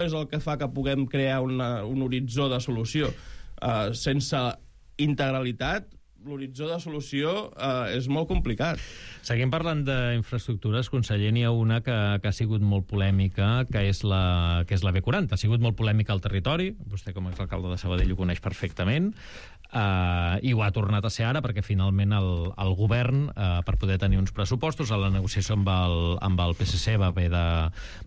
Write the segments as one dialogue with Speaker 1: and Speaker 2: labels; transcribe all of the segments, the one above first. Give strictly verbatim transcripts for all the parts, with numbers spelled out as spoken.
Speaker 1: és el que fa que puguem crear una, un horitzó de solució. Uh, sense integralitat, l'horitzó de solució uh, és molt complicat.
Speaker 2: Seguim parlant d'infraestructures, conseller. N'hi ha una que, que ha sigut molt polèmica, que és la, que és la B quaranta. Ha sigut molt polèmica al territori, vostè com a exalcalde de Sabadell ho coneix perfectament, uh, i ho ha tornat a ser ara perquè finalment el, el govern, uh, per poder tenir uns pressupostos, a la negociació amb el, amb el P S C va haver de,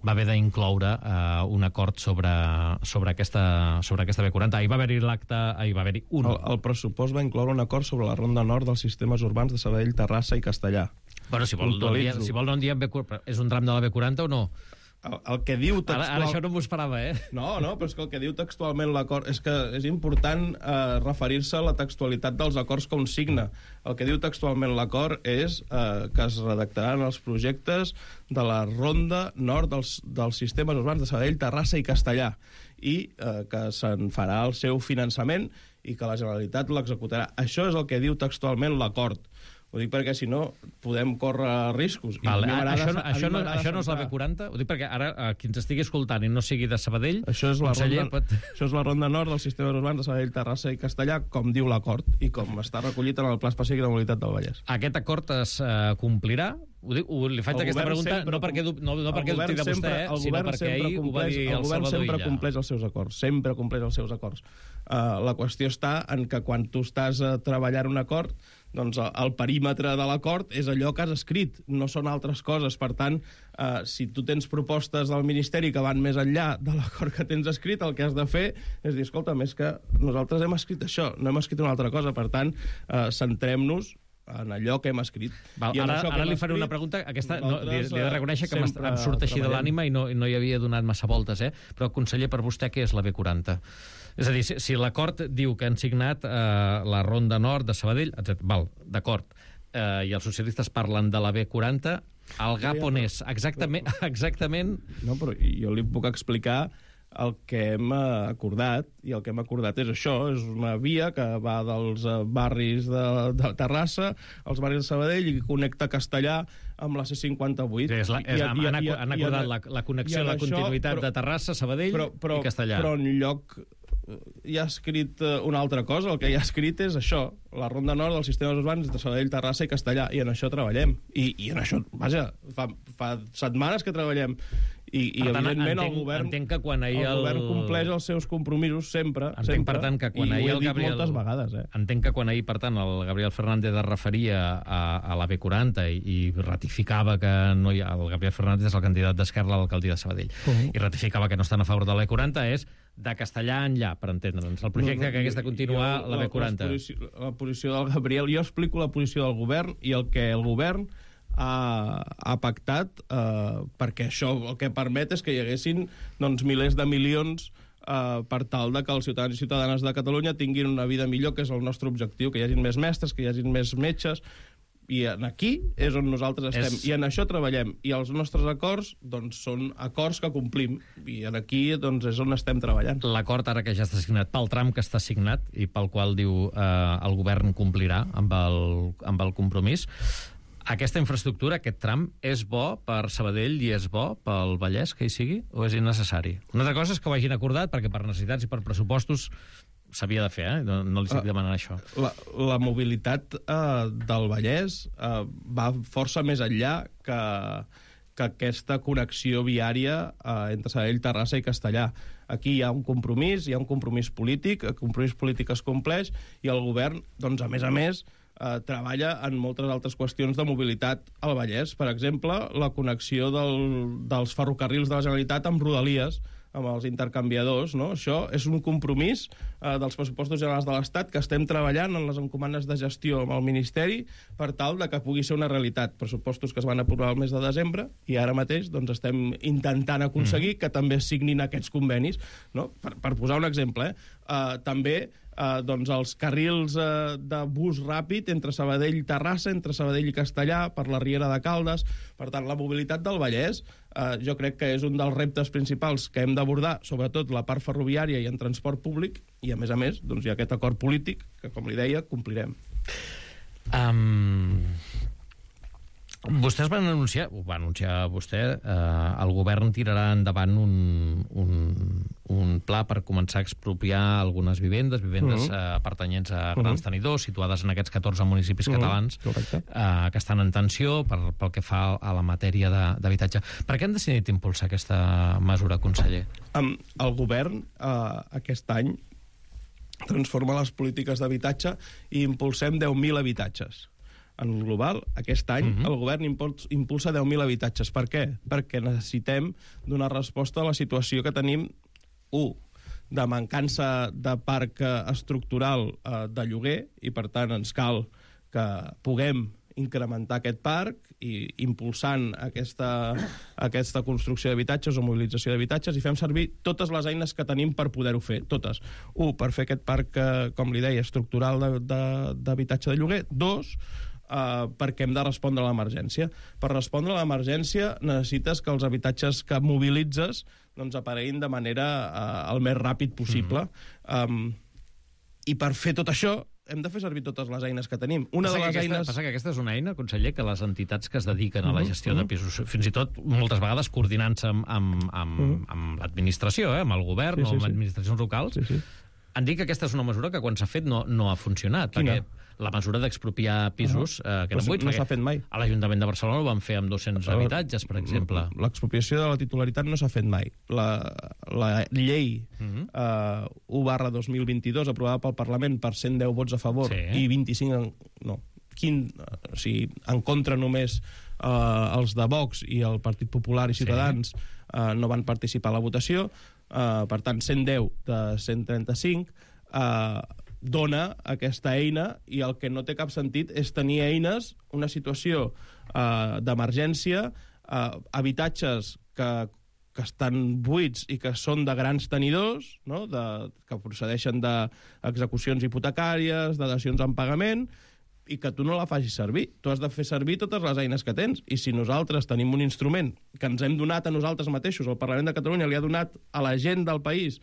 Speaker 2: va haver d'incloure uh, un acord sobre, sobre, aquesta, sobre aquesta B quaranta. Ahir va haver-hi l'acte, ahir va haver-hi un...
Speaker 1: El, el pressupost va incloure un acord sobre la ronda nord dels sistemes urbans de Sabadell, Terrassa i Castellà.
Speaker 2: Bueno, si vol, no diem, si vol no en diem B quaranta, és un tram de la B quaranta o no?
Speaker 1: El, el que diu textual...
Speaker 2: Ara, ara això no m'ho esperava, eh?
Speaker 1: No, no, però és que el que diu textualment l'acord... És que és important eh, referir-se a la textualitat dels acords que un signa. El que diu textualment l'acord és eh, que es redactaran els projectes de la ronda nord dels, dels sistemes urbans de Sabadell, Terrassa i Castellà, i eh, que se'n farà el seu finançament i que la Generalitat l'executarà. Això és el que diu textualment l'acord. Ho dic perquè, si no, podem córrer riscos.
Speaker 2: Vale, això, això, no, això no és la B quaranta? Ho dic perquè ara, qui ens estigui escoltant i no sigui de Sabadell...
Speaker 1: Això és la, ronda,
Speaker 2: pot...
Speaker 1: això és la ronda nord dels sistemes urbans de Sabadell, Terrassa i Castellà, com diu l'acord, i com està recollit en el Pla Específic de Mobilitat del Vallès.
Speaker 2: Aquest acord es uh, complirà? Ho dic, ho, li faig el aquesta pregunta sempre, no perquè, no, no perquè dubti de vostè, eh, sinó perquè ahir ho va dir el, el
Speaker 1: govern sempre
Speaker 2: Illa.
Speaker 1: compleix els seus acords, sempre compleix els seus acords. Uh, la qüestió està en que quan tu estàs uh, treballant un acord, doncs el, el perímetre de l'acord és allò que has escrit, no són altres coses. Per tant, uh, si tu tens propostes del Ministeri que van més enllà de l'acord que tens escrit, el que has de fer és dir, escolta, més que nosaltres hem escrit això, no hem escrit una altra cosa. Per tant, uh, centrem-nos en allò que hem escrit.
Speaker 2: Val, ara ara li faré una pregunta. Aquesta, no, li, li he de reconèixer que em surt així de l'ànima i no, no hi havia donat massa voltes, eh? Però, conseller, per vostè què és la B quaranta? És a dir, si, si l'acord diu que han signat eh, la ronda nord de Sabadell, etcètera. Val, d'acord, eh, i els socialistes parlen de la B quaranta, el gap on és? Exactament, exactament...
Speaker 1: No, però jo li puc explicar el que hem acordat, i el que hem acordat és això, és una via que va dels barris de, de Terrassa als barris de Sabadell i connecta Castellà amb la C cinquanta-vuit.
Speaker 2: Sí, és la, és, I, han, i, han, i, han acordat i, la, la connexió, la continuïtat però, de Terrassa, Sabadell però, però, i Castellà.
Speaker 1: Però en lloc hi ha escrit una altra cosa, el que hi ha escrit és això, la ronda nord dels sistemes urbans de Sabadell, Terrassa i Castellà, i en això treballem. I, i en això, vaja, fa, fa setmanes que treballem. I, i
Speaker 2: tant,
Speaker 1: evidentment
Speaker 2: entenc,
Speaker 1: el govern,
Speaker 2: entenc que quan ahir
Speaker 1: el govern compleix els seus compromisos sempre,
Speaker 2: entenc,
Speaker 1: sempre
Speaker 2: per tant, que quan
Speaker 1: i
Speaker 2: ahir
Speaker 1: ho he
Speaker 2: el Gabriel,
Speaker 1: dit moltes vegades. Eh?
Speaker 2: Entenc que quan ahir, per tant, el Gabriel Fernández es referia a, a la B quaranta i, i ratificava que no hi ha, el Gabriel Fernández és el candidat d'Esquerra a l'alcaldia de Sabadell, uh -huh. i ratificava que no estan a favor de la B quaranta, és de Castellà enllà, per entendre'ns. El projecte no, no, que hagués de continuar jo, la B quaranta. La
Speaker 1: posició, la posició del Gabriel, jo explico la posició del govern i el que el govern ha, ha pactat, eh, perquè això el que permet és que hi haguessin doncs, milers de milions eh, per tal de que els ciutadans i ciutadanes de Catalunya tinguin una vida millor, que és el nostre objectiu, que hi hagin més mestres, que hi hagin més metges, i aquí és on nosaltres estem, és... i en això treballem, i els nostres acords doncs, són acords que complim, i aquí doncs, és on estem treballant.
Speaker 2: L'acord ara que ja està signat, pel tram que està signat i pel qual diu eh, el govern complirà amb el, amb el compromís, aquesta infraestructura, aquest tram, és bo per Sabadell i és bo pel Vallès que hi sigui, o és innecessari? Una altra cosa és que ho hagin acordat, perquè per necessitats i per pressupostos s'havia de fer, eh? No, no li estic demanant això.
Speaker 1: La, la mobilitat eh, del Vallès eh, va força més enllà que, que aquesta connexió viària eh, entre Sabadell, Terrassa i Castellà. Aquí hi ha un compromís, hi ha un compromís polític, el compromís polític es compleix, i el govern, doncs, a més a més, eh, treballa en moltes altres qüestions de mobilitat al Vallès. Per exemple, la connexió del, dels ferrocarrils de la Generalitat amb Rodalies, amb els intercanviadors, no? Això és un compromís eh, dels pressupostos generals de l'Estat que estem treballant en les encomanes de gestió amb el Ministeri per tal de que pugui ser una realitat. Pressupostos que es van aprovar el mes de desembre i ara mateix doncs, estem intentant aconseguir mm. que també signin aquests convenis, no? Per, per posar un exemple, eh? Uh, també uh, doncs els carrils uh, de bus ràpid entre Sabadell i Terrassa, entre Sabadell i Castellà, per la Riera de Caldes. Per tant, la mobilitat del Vallès uh, jo crec que és un dels reptes principals que hem d'abordar, sobretot la part ferroviària i en transport públic, i a més a més doncs, hi ha aquest acord polític que, com li deia, complirem.
Speaker 2: Um... Vostès van anunciar, ho va anunciar vostè, eh, el govern tirarà endavant un, un, un pla per començar a expropiar algunes vivendes, vivendes uh-huh. eh, pertanyents a grans uh-huh. tenidors, situades en aquests catorze municipis uh-huh. catalans eh, que estan en tensió per, pel que fa a la matèria d'habitatge. Per què han decidit impulsar aquesta mesura, conseller?
Speaker 1: Um, el govern uh, aquest any transforma les polítiques d'habitatge i impulsem deu mil habitatges. En global, aquest any, uh-huh. el govern impulsa deu mil habitatges. Per què? Perquè necessitem donar resposta a la situació que tenim, u, de mancança de parc estructural eh, de lloguer, i per tant ens cal que puguem incrementar aquest parc i impulsant aquesta, aquesta construcció d'habitatges o mobilització d'habitatges, i fem servir totes les eines que tenim per poder-ho fer, totes. Un, per fer aquest parc, eh, com li deia, estructural d'habitatge de, de, de lloguer. Dos, Uh, perquè hem de respondre a l'emergència. Per respondre a l'emergència necessites que els habitatges que mobilitzes doncs, apareguin de manera uh, el més ràpid possible. Mm-hmm. um, I per fer tot això hem de fer servir totes les eines que tenim. Una
Speaker 2: passa
Speaker 1: de les
Speaker 2: aquesta,
Speaker 1: eines...
Speaker 2: Passa que aquesta és una eina, conseller, que les entitats que es dediquen a la gestió uh-huh. de pisos, fins i tot moltes vegades coordinant-se amb, amb, amb, uh-huh. amb l'administració, eh, amb el govern sí, sí, o amb sí. administracions locals, sí, sí. han dit que aquesta és una mesura que quan s'ha fet no, no ha funcionat. Quina? Perquè la mesura d'expropiar pisos uh-huh. eh, que
Speaker 1: no buits, no s'ha fet mai.
Speaker 2: A l'Ajuntament de Barcelona ho van fer amb dos-cents uh, habitatges, per exemple.
Speaker 1: L'expropiació de la titularitat no s'ha fet mai. La, la llei uh-huh. uh, u barra dos mil vint-i-dos, aprovada pel Parlament per cent deu vots a favor sí. i vint-i-cinc en, no, quinze, o sigui, en contra només uh, els de Vox i el Partit Popular i Ciutadans sí. uh, no van participar a la votació. Uh, per tant, cent deu de cent trenta-cinc uh, dona aquesta eina, i el que no té cap sentit és tenir eines, una situació uh, d'emergència, uh, habitatges que, que estan buits i que són de grans tenidors, no? de, que procedeixen d'execucions hipotecàries, de dacions en pagament, i que tu no la facis servir. Tu has de fer servir totes les eines que tens, i si nosaltres tenim un instrument que ens hem donat a nosaltres mateixos, el Parlament de Catalunya li ha donat a la gent del país,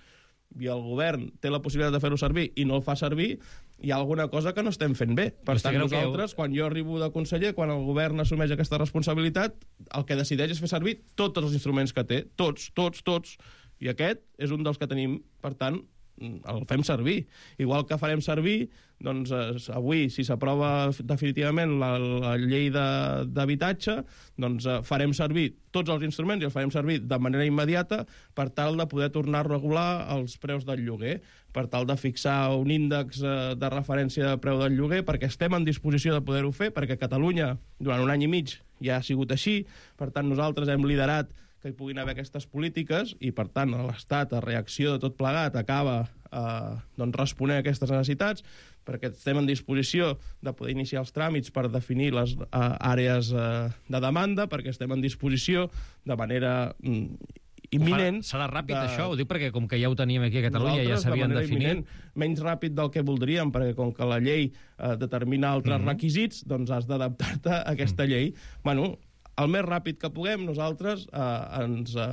Speaker 1: i el govern té la possibilitat de fer-ho servir i no el fa servir, hi ha alguna cosa que no estem fent bé. Per tant, nosaltres, quan jo arribo de conseller, quan el govern assumeix aquesta responsabilitat, el que decideix és fer servir tots els instruments que té, tots, tots, tots, i aquest és un dels que tenim. Per tant, el fem servir. Igual que farem servir, doncs, eh, avui, si s'aprova definitivament la, la llei d'habitatge, doncs eh, farem servir tots els instruments i els farem servir de manera immediata per tal de poder tornar a regular els preus del lloguer, per tal de fixar un índex eh, de referència de preu del lloguer, perquè estem en disposició de poder-ho fer, perquè Catalunya, durant un any i mig, ja ha sigut així. Per tant, nosaltres hem liderat que hi puguin haver aquestes polítiques, i per tant l'Estat, a reacció de tot plegat, acaba eh, doncs, responent a aquestes necessitats, perquè estem en disposició de poder iniciar els tràmits per definir les eh, àrees eh, de demanda, perquè estem en disposició de manera mm, imminent...
Speaker 2: Serà ràpid, de... això? Ho dic perquè com que ja ho teníem aquí a Catalunya, ja s'havien de definit...
Speaker 1: Menys ràpid del que voldríem, perquè com que la llei eh, determina altres mm-hmm. requisits, doncs has d'adaptar-te a aquesta mm. llei. Bueno, el més ràpid que puguem, nosaltres eh, ens eh,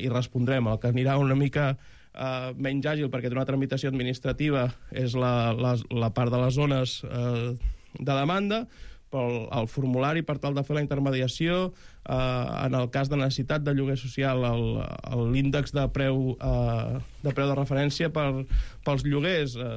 Speaker 1: hi respondrem. El que anirà una mica eh, menys àgil, perquè té una tramitació administrativa, és la, la, la part de les zones eh, de demanda, però el formulari per tal de fer la intermediació, eh, en el cas de necessitat de lloguer social, l'índex de preu eh, de preu de referència per, pels lloguers, eh,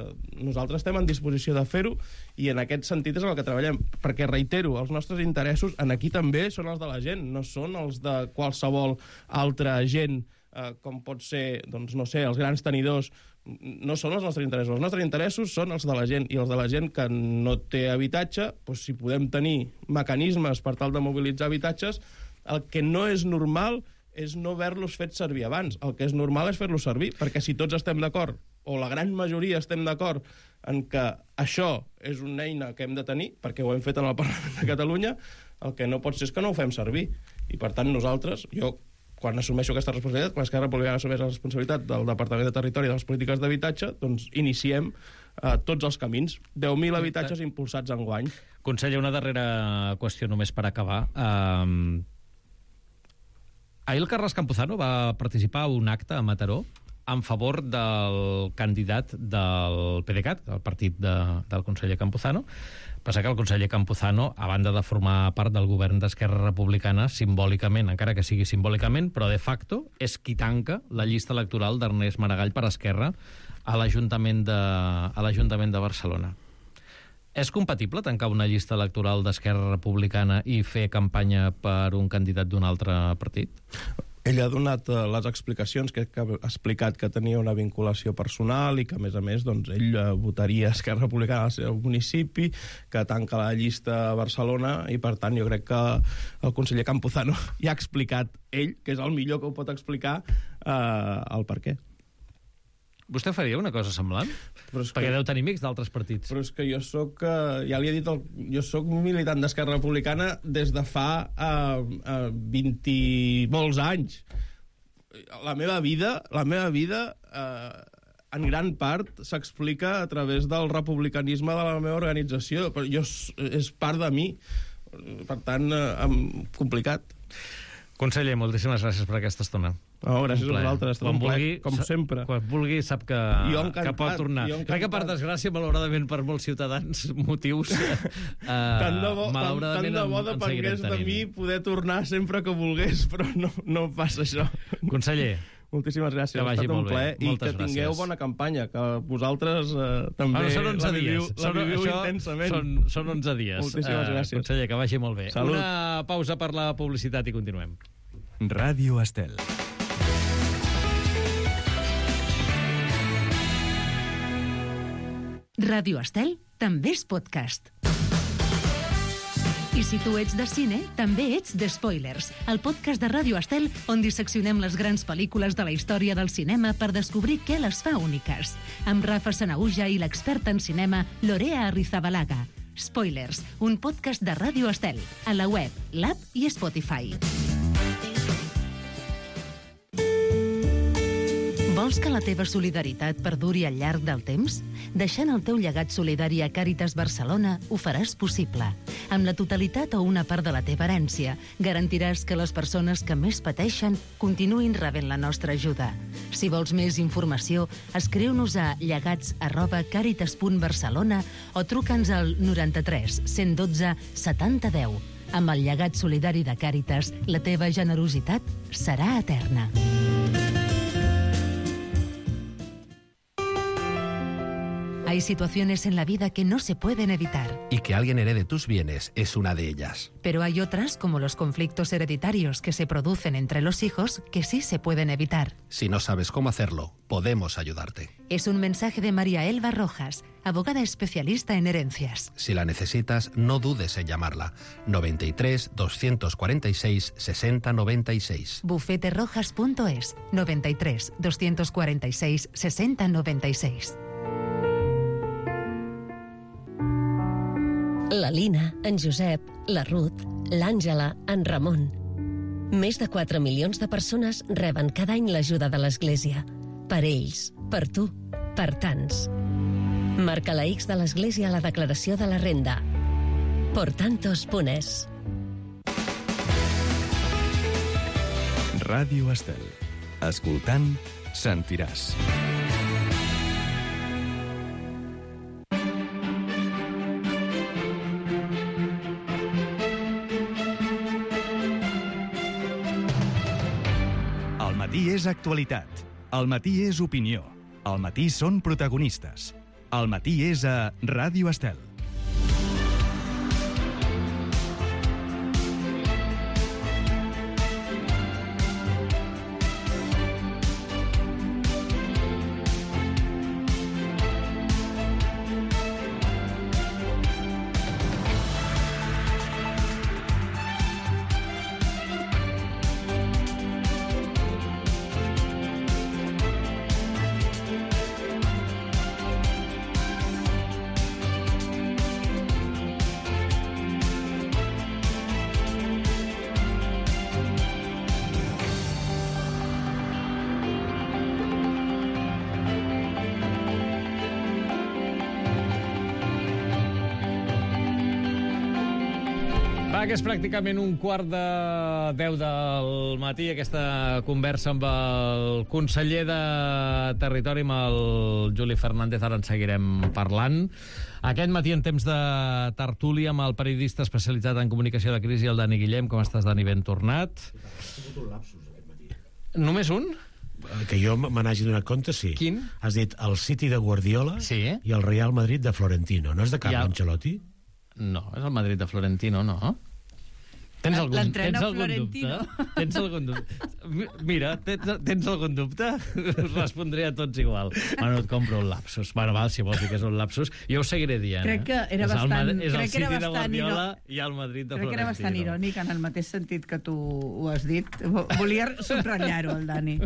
Speaker 1: nosaltres estem en disposició de fer-ho, i en aquest sentit és en el que treballem, perquè, reitero, els nostres interessos en aquí també són els de la gent, no són els de qualsevol altra gent, eh, com pot ser, doncs, no sé, els grans tenidors. No són els nostres interessos. Els nostres interessos són els de la gent, i els de la gent que no té habitatge, doncs, si podem tenir mecanismes per tal de mobilitzar habitatges, el que no és normal és no haver-los fet servir abans. El que és normal és fer-los servir, perquè si tots estem d'acord, o la gran majoria estem d'acord en que això és una eina que hem de tenir, perquè ho hem fet en el Parlament de Catalunya, el que no pot ser és que no ho fem servir. I, per tant, nosaltres, jo, quan assumeixo aquesta responsabilitat, quan Esquerra Republicana assumeix la responsabilitat del Departament de Territori i de les polítiques d'habitatge, doncs iniciem eh, tots els camins. deu mil habitatges impulsats enguany.
Speaker 2: Conseller, una darrera qüestió només per acabar. Um, ahir el Carles Campuzano va participar a un acte a Mataró en favor del candidat del PDeCAT, el partit de, del conseller Campuzano, Passa que el conseller Campuzano, a banda de formar part del govern d'Esquerra Republicana, simbòlicament, encara que sigui simbòlicament, però de facto, és qui tanca la llista electoral d'Ernest Maragall per Esquerra a l'Ajuntament de, a l'Ajuntament de Barcelona. És compatible tancar una llista electoral d'Esquerra Republicana i fer campanya per un candidat d'un altre partit?
Speaker 1: Ell ha donat uh, les explicacions, que, que ha explicat que tenia una vinculació personal i que, a més a més, doncs, ell uh, votaria Esquerra Republicana al seu municipi, que tanca la llista a Barcelona, i, per tant, jo crec que el conseller Campuzano ja ha explicat ell, que és el millor que ho pot explicar, uh, el per què.
Speaker 2: Vostè faria una cosa semblant? Perquè que... deu tenir amics d'altres partits.
Speaker 1: Però és que jo soc, uh, ja li he dit, el, jo soc militant d'Esquerra Republicana des de fa uh, uh, vint i molts anys. La meva vida, la meva vida uh, en gran part s'explica a través del republicanisme de la meva organització. Però jo, és part de mi. Per tant, uh, complicat.
Speaker 2: Conseller, moltíssimes gràcies per aquesta estona.
Speaker 1: Oh, gràcies a vosaltres,
Speaker 2: quan vulgui,
Speaker 1: com sempre.
Speaker 2: Quan vulgui sap que, que pot tornar. Crec que per desgràcia, malauradament per molts ciutadans, motius eh,
Speaker 1: tant de bo,
Speaker 2: malauradament
Speaker 1: tant de bo depengués de mi poder tornar sempre que volgués, però no, no passa això.
Speaker 2: Conseller,
Speaker 1: moltíssimes gràcies,
Speaker 2: que
Speaker 1: ha estat un plaer i
Speaker 2: moltes
Speaker 1: que tingueu
Speaker 2: gràcies.
Speaker 1: bona campanya, que vosaltres eh, també
Speaker 2: bueno, són onze
Speaker 1: la viviu,
Speaker 2: dies.
Speaker 1: la viviu
Speaker 2: són,
Speaker 1: intensament.
Speaker 2: Són, són onze dies.
Speaker 1: Moltíssimes uh, gràcies.
Speaker 2: Conseller, que vagi molt bé.
Speaker 1: Salut.
Speaker 2: Una pausa per la publicitat i continuem.
Speaker 3: Ràdio Estel.
Speaker 4: Ràdio Estel també és podcast. I si tu ets de cine, també ets de Spoilers, el podcast de Ràdio Estel on disseccionem les grans pel·lícules de la història del cinema per descobrir què les fa úniques. Amb Rafa Sanahuja i l'experta en cinema Lorea Arrizabalaga. Spoilers, un podcast de Ràdio Estel, a la web, l'app i Spotify. Vols que la teva solidaritat perduri al llarg del temps? Deixant el teu llegat solidari a Càritas Barcelona ho faràs possible. Amb la totalitat o una part de la teva herència, garantiràs que les persones que més pateixen continuïn rebent la nostra ajuda. Si vols més informació, escriu-nos a llegats arroba càritas punt barcelona o truca'ns al noranta-tres cent dotze setanta deu. Amb el llegat solidari de Càritas, la teva generositat serà eterna. Hay situaciones en la vida que no se pueden evitar.
Speaker 5: Y que alguien herede tus bienes es una de ellas.
Speaker 4: Pero hay otras, como los conflictos hereditarios que se producen entre los hijos, que sí se pueden evitar.
Speaker 5: Si no sabes cómo hacerlo, podemos ayudarte.
Speaker 4: Es un mensaje de María Elba Rojas, abogada especialista en herencias.
Speaker 5: Si la necesitas, no dudes en llamarla. noventa y tres, doscientos cuarenta y seis, sesenta noventa y seis.
Speaker 4: bufete rojas punto es, noventa y tres, doscientos cuarenta y seis, sesenta noventa y seis.
Speaker 6: La Lina, en Josep, la Ruth, l'Àngela, en Ramon. Més de quatre milions de persones reben cada any l'ajuda de l'Església. Per ells, per tu, per tants. Marca la X de l'Església a la declaració de la renda. Por tantos punt es.
Speaker 3: Ràdio Estel. Escoltant, sentiràs. El matí és actualitat. El matí és opinió. El matí són protagonistes. El matí és a Ràdio Estel.
Speaker 2: Va, que és pràcticament un quart de deu del matí, aquesta conversa amb el conseller de Territori, amb el Juli Fernández, ara en seguirem parlant. Aquest matí, en temps de tertúlia, amb el periodista especialitzat en comunicació de crisi, el Dani Guillem. Com estàs, Dani? Ben tornat.
Speaker 7: Ha sigut un lapsus aquest matí.
Speaker 2: Només un?
Speaker 7: Que jo me n'hagi donat compte, sí.
Speaker 2: Quin?
Speaker 7: Has dit el City de Guardiola
Speaker 2: Sí.
Speaker 7: i el Real Madrid de Florentino. No és de Carlo
Speaker 2: Ja.
Speaker 7: Ancelotti?
Speaker 2: No, és el Madrid de Florentino, no? Tens algun,
Speaker 8: L'entrenador
Speaker 2: tens algun
Speaker 8: Florentino.
Speaker 2: dubte? Tens algun dubte? Mira, tens, tens algun dubte? Us respondré a tots igual. Bueno, et compro un lapsus. Bueno, val, si vols dir que és un lapsus. Jo ho seguiré dient.
Speaker 8: Crec que
Speaker 2: eh?
Speaker 8: era
Speaker 2: és
Speaker 8: bastant-
Speaker 2: El, és
Speaker 8: crec
Speaker 2: el
Speaker 8: que era
Speaker 2: City de
Speaker 8: bastant
Speaker 2: Guardiola
Speaker 8: iro-
Speaker 2: i el Madrid de
Speaker 8: Crec que era
Speaker 2: Florentino.
Speaker 8: bastant irònic en el mateix sentit que tu ho has dit. Volia subratllar-ho, el Dani.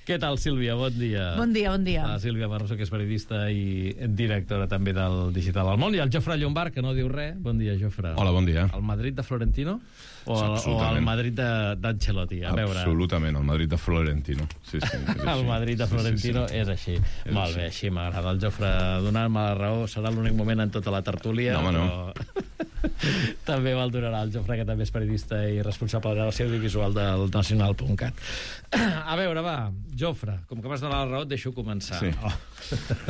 Speaker 2: Què tal, Sílvia? Bon dia.
Speaker 8: Bon dia, bon dia.
Speaker 2: La Sílvia Barroso, que és periodista i directora també del Digital del Món. I el Jofre Llombard, que no diu res. Bon dia, Jofre.
Speaker 9: Hola, bon dia.
Speaker 2: El Madrid de Florentino o el, o el Madrid de- d'Ancelotti? A veure.
Speaker 9: Absolutament, el Madrid de Florentino. Sí, sí, és
Speaker 2: El
Speaker 9: així.
Speaker 2: Madrid de Florentino
Speaker 9: Sí, sí, sí.
Speaker 2: és així.
Speaker 9: És
Speaker 2: Molt bé, així m'agrada. El Jofre donant-me la raó serà l'únic moment en tota la tertúlia.
Speaker 9: No, home, no.
Speaker 2: Però... també me'l donarà el Jofre, que també és periodista i responsable de la relació audiovisual del nacional punt cat. A veure, va, Jofre, com que m'has donat la raó, et deixo començar.
Speaker 9: Sí.
Speaker 2: Oh.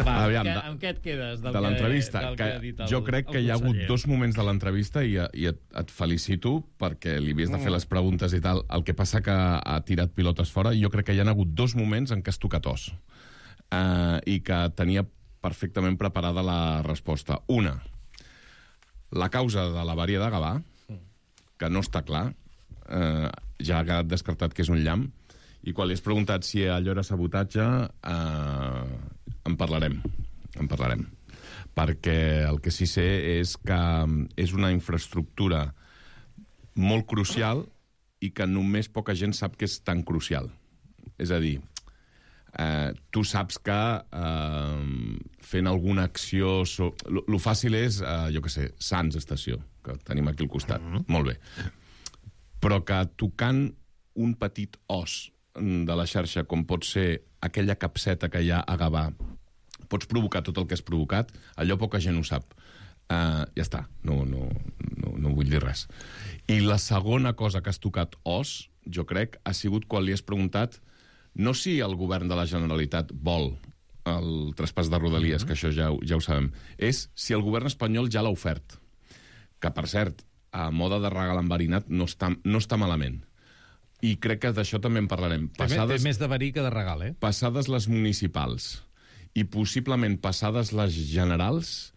Speaker 2: Va,
Speaker 9: Aviam,
Speaker 2: amb, què,
Speaker 9: de-
Speaker 2: amb què et quedes? Del
Speaker 9: De
Speaker 2: que-
Speaker 9: l'entrevista,
Speaker 2: del
Speaker 9: que
Speaker 2: ha dit el-
Speaker 9: jo crec
Speaker 2: el
Speaker 9: que hi ha hagut
Speaker 2: conseller.
Speaker 9: dos moments de l'entrevista i, i et, et felicito perquè li havies de fer les preguntes i tal. El que passa que ha tirat pilotes fora i jo crec que hi ha hagut dos moments en què has tocat os uh, i que tenia perfectament preparada la resposta. Una, la causa de l'avaria de Gavà, que no està clar, eh, ja ha quedat descartat que és un llamp, i quan li has preguntat si allò era sabotatge, eh, en parlarem, en parlarem. Perquè el que sí sé és que és una infraestructura molt crucial i que només poca gent sap que és tan crucial. És a dir, eh, tu saps que eh, fent alguna acció... So... Lo, lo fàcil és, eh, jo què sé, Sants Estació, que tenim aquí al costat. Mm-hmm. Molt bé. Però que tocant un petit os de la xarxa, com pot ser aquella capseta que hi ha a Gavà, pots provocar tot el que has provocat, allò poca gent ho sap. Uh, ja està, no, no, no, no vull dir res. I la segona cosa que has tocat os, jo crec, ha sigut quan li has preguntat no si el govern de la Generalitat vol el traspàs de Rodalies, mm-hmm. que això ja, ja ho sabem, és si el govern espanyol ja l'ha ofert. Que, per cert, a moda de regal enverinat no està, no està malament. I crec que d'això també en parlarem.
Speaker 2: Passades, té més de verí que de regal, eh?
Speaker 9: Passades les municipals i possiblement passades les generals,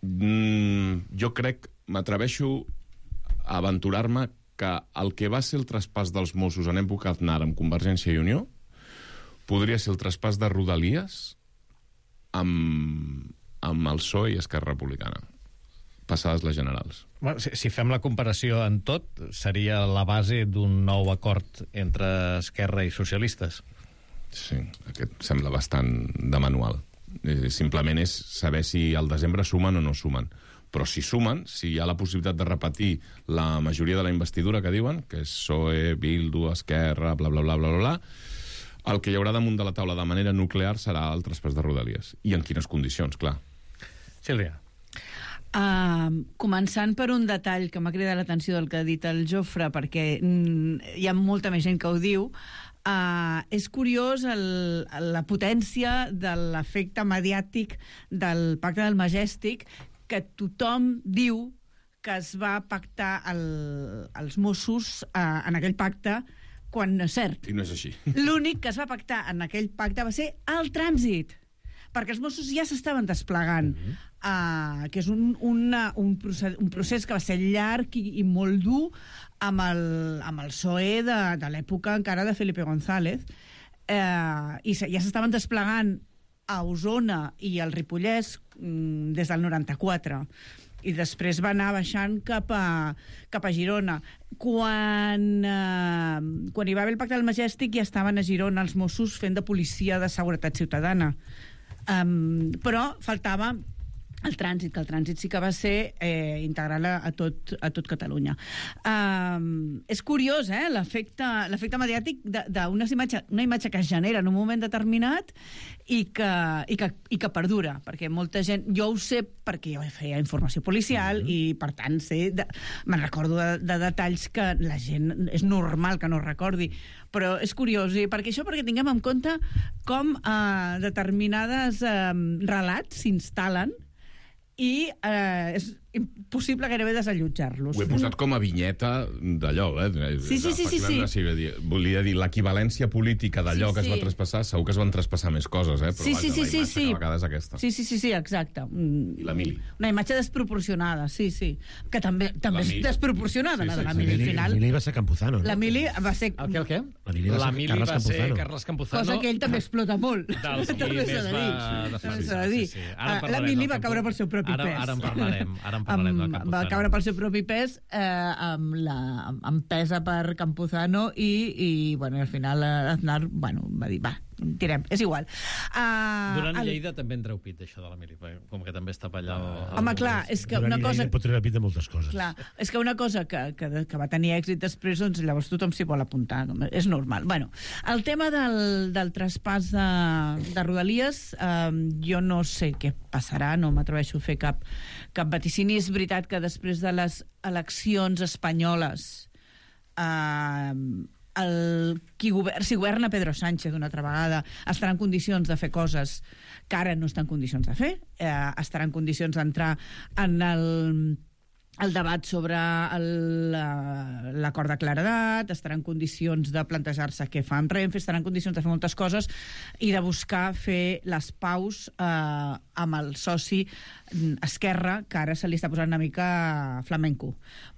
Speaker 9: mmm, jo crec, m'atreveixo a aventurar-me que el que va ser el traspàs dels Mossos en època Aznar amb Convergència i Unió podria ser el traspàs de Rodalies amb, amb el P S O E i Esquerra Republicana, passades les generals.
Speaker 2: Bueno, si, si fem la comparació en tot, seria la base d'un nou acord entre Esquerra i socialistes.
Speaker 9: Sí, aquest sembla bastant de manual. Eh, simplement és saber si al desembre sumen o no sumen. Però si sumen, si hi ha la possibilitat de repetir la majoria de la investidura que diuen, que és P S O E, Bildu, Esquerra, bla, bla, bla, bla, bla, bla, el que hi haurà damunt de la taula de manera nuclear serà el traspàs de Rodalies. I en quines condicions, clar.
Speaker 2: Sílvia.
Speaker 8: Uh, començant per un detall que m'ha cridat l'atenció del que ha dit el Jofre, perquè mm, hi ha molta més gent que ho diu. Uh, és curiós el, la potència de l'efecte mediàtic del Pacte del Majestic, que tothom diu que es va pactar el, els Mossos uh, en aquell pacte, quan no és cert.
Speaker 9: I no és així.
Speaker 8: L'únic que es va pactar en aquell pacte va ser el trànsit, perquè els Mossos ja s'estaven desplegant, mm-hmm. uh, que és un, una, un, procés, un procés que va ser llarg i, i molt dur amb el, amb el P S O E de, de l'època encara de Felipe González, uh, i ja s'estaven desplegant a Osona i al Ripollès mm, des del noranta-quatre, i després va anar baixant cap a, cap a Girona. Quan, eh, quan hi va haver el Pacte del Majestic ja estaven a Girona els Mossos fent de policia de seguretat ciutadana. Um, però faltava el trànsit, que el trànsit sí que va ser eh, integral a, a, tot, a tot Catalunya. Um, és curiós, eh, l'efecte l'efecte mediàtic d'una imatge, una imatge que es genera en un moment determinat i que, i que, i que perdura, perquè molta gent... Jo ho sé perquè jo feia informació policial mm-hmm. i, per tant, sé de, me'n recordo de, de detalls que la gent... És normal que no recordi, però és curiós, i perquè això perquè tinguem en compte com eh, determinades eh, relats s'instal·len i eh, és impossible gairebé desallotjar-los.
Speaker 9: Ho he posat com a vinyeta d'allò, eh?
Speaker 8: Sí, sí, sí, sí, sí.
Speaker 9: sí. Volia dir, l'equivalència política d'allò
Speaker 8: sí,
Speaker 9: que es va
Speaker 8: sí.
Speaker 9: traspassar, segur que es van traspassar més coses, eh? Però
Speaker 8: sí,
Speaker 9: vaja,
Speaker 8: sí, sí,
Speaker 9: la imatge
Speaker 8: sí, sí.
Speaker 9: que a vegades aquesta.
Speaker 8: Sí, sí, sí, sí, exacte.
Speaker 9: I la Mili.
Speaker 8: Una imatge desproporcionada, sí, sí. Que també, també és
Speaker 9: Mili.
Speaker 8: desproporcionada,
Speaker 9: Sí,
Speaker 8: la
Speaker 9: sí,
Speaker 8: de la
Speaker 9: sí.
Speaker 8: Mili. Al
Speaker 7: La
Speaker 8: final,
Speaker 7: Mili va ser Campuzano, no?
Speaker 8: la Mili va ser...
Speaker 2: El què, el què?
Speaker 7: La Mili va ser
Speaker 2: Mili
Speaker 7: Carles
Speaker 2: va ser
Speaker 7: Campuzano.
Speaker 2: Carles Campuzano.
Speaker 8: Cosa que ell també explota molt.
Speaker 2: Dels qui
Speaker 8: També s'ha
Speaker 2: més
Speaker 8: de
Speaker 2: va
Speaker 8: dir.
Speaker 2: defensar,
Speaker 8: També s'ha de dir.
Speaker 2: sí, sí. Ara en
Speaker 8: Ah, La
Speaker 2: parlarem
Speaker 8: Mili
Speaker 2: del
Speaker 8: va caure
Speaker 2: Campuzano.
Speaker 8: pel seu propi
Speaker 2: Ara-
Speaker 8: pes.
Speaker 2: ara en parlarem, ara en parlarem del
Speaker 8: Amb-
Speaker 2: Campuzano.
Speaker 8: Va caure pel seu propi pes, eh, amb, la, amb pesa per Campuzano i, i bueno, al final Aznar bueno, va dir, va, tirem, és igual. Uh,
Speaker 2: Durant el... Lleida també en treu pit, això de la Mili, com que també està per allà...
Speaker 8: Uh, home, clar, és que una cosa...
Speaker 7: Pot treure pit de moltes coses.
Speaker 8: Clar, és que una cosa que, que, que va tenir èxit després, doncs llavors tothom s'hi vol apuntar, és normal. Bueno, el tema del, del traspàs de, de Rodalies, eh, jo no sé què passarà, no m'atreveixo a fer cap, cap vaticini. És veritat que després de les eleccions espanyoles eh, el, qui govern, si governa Pedro Sánchez una altra vegada estarà en condicions de fer coses que ara no està en condicions de fer, eh, estarà en condicions d'entrar en el el debat sobre l'acord de claredat, estarà en condicions de plantejar-se què fa amb Renfe, estarà en condicions de fer moltes coses i de buscar fer les paus eh, amb el soci Esquerra, que ara se li està posant una mica flamenco.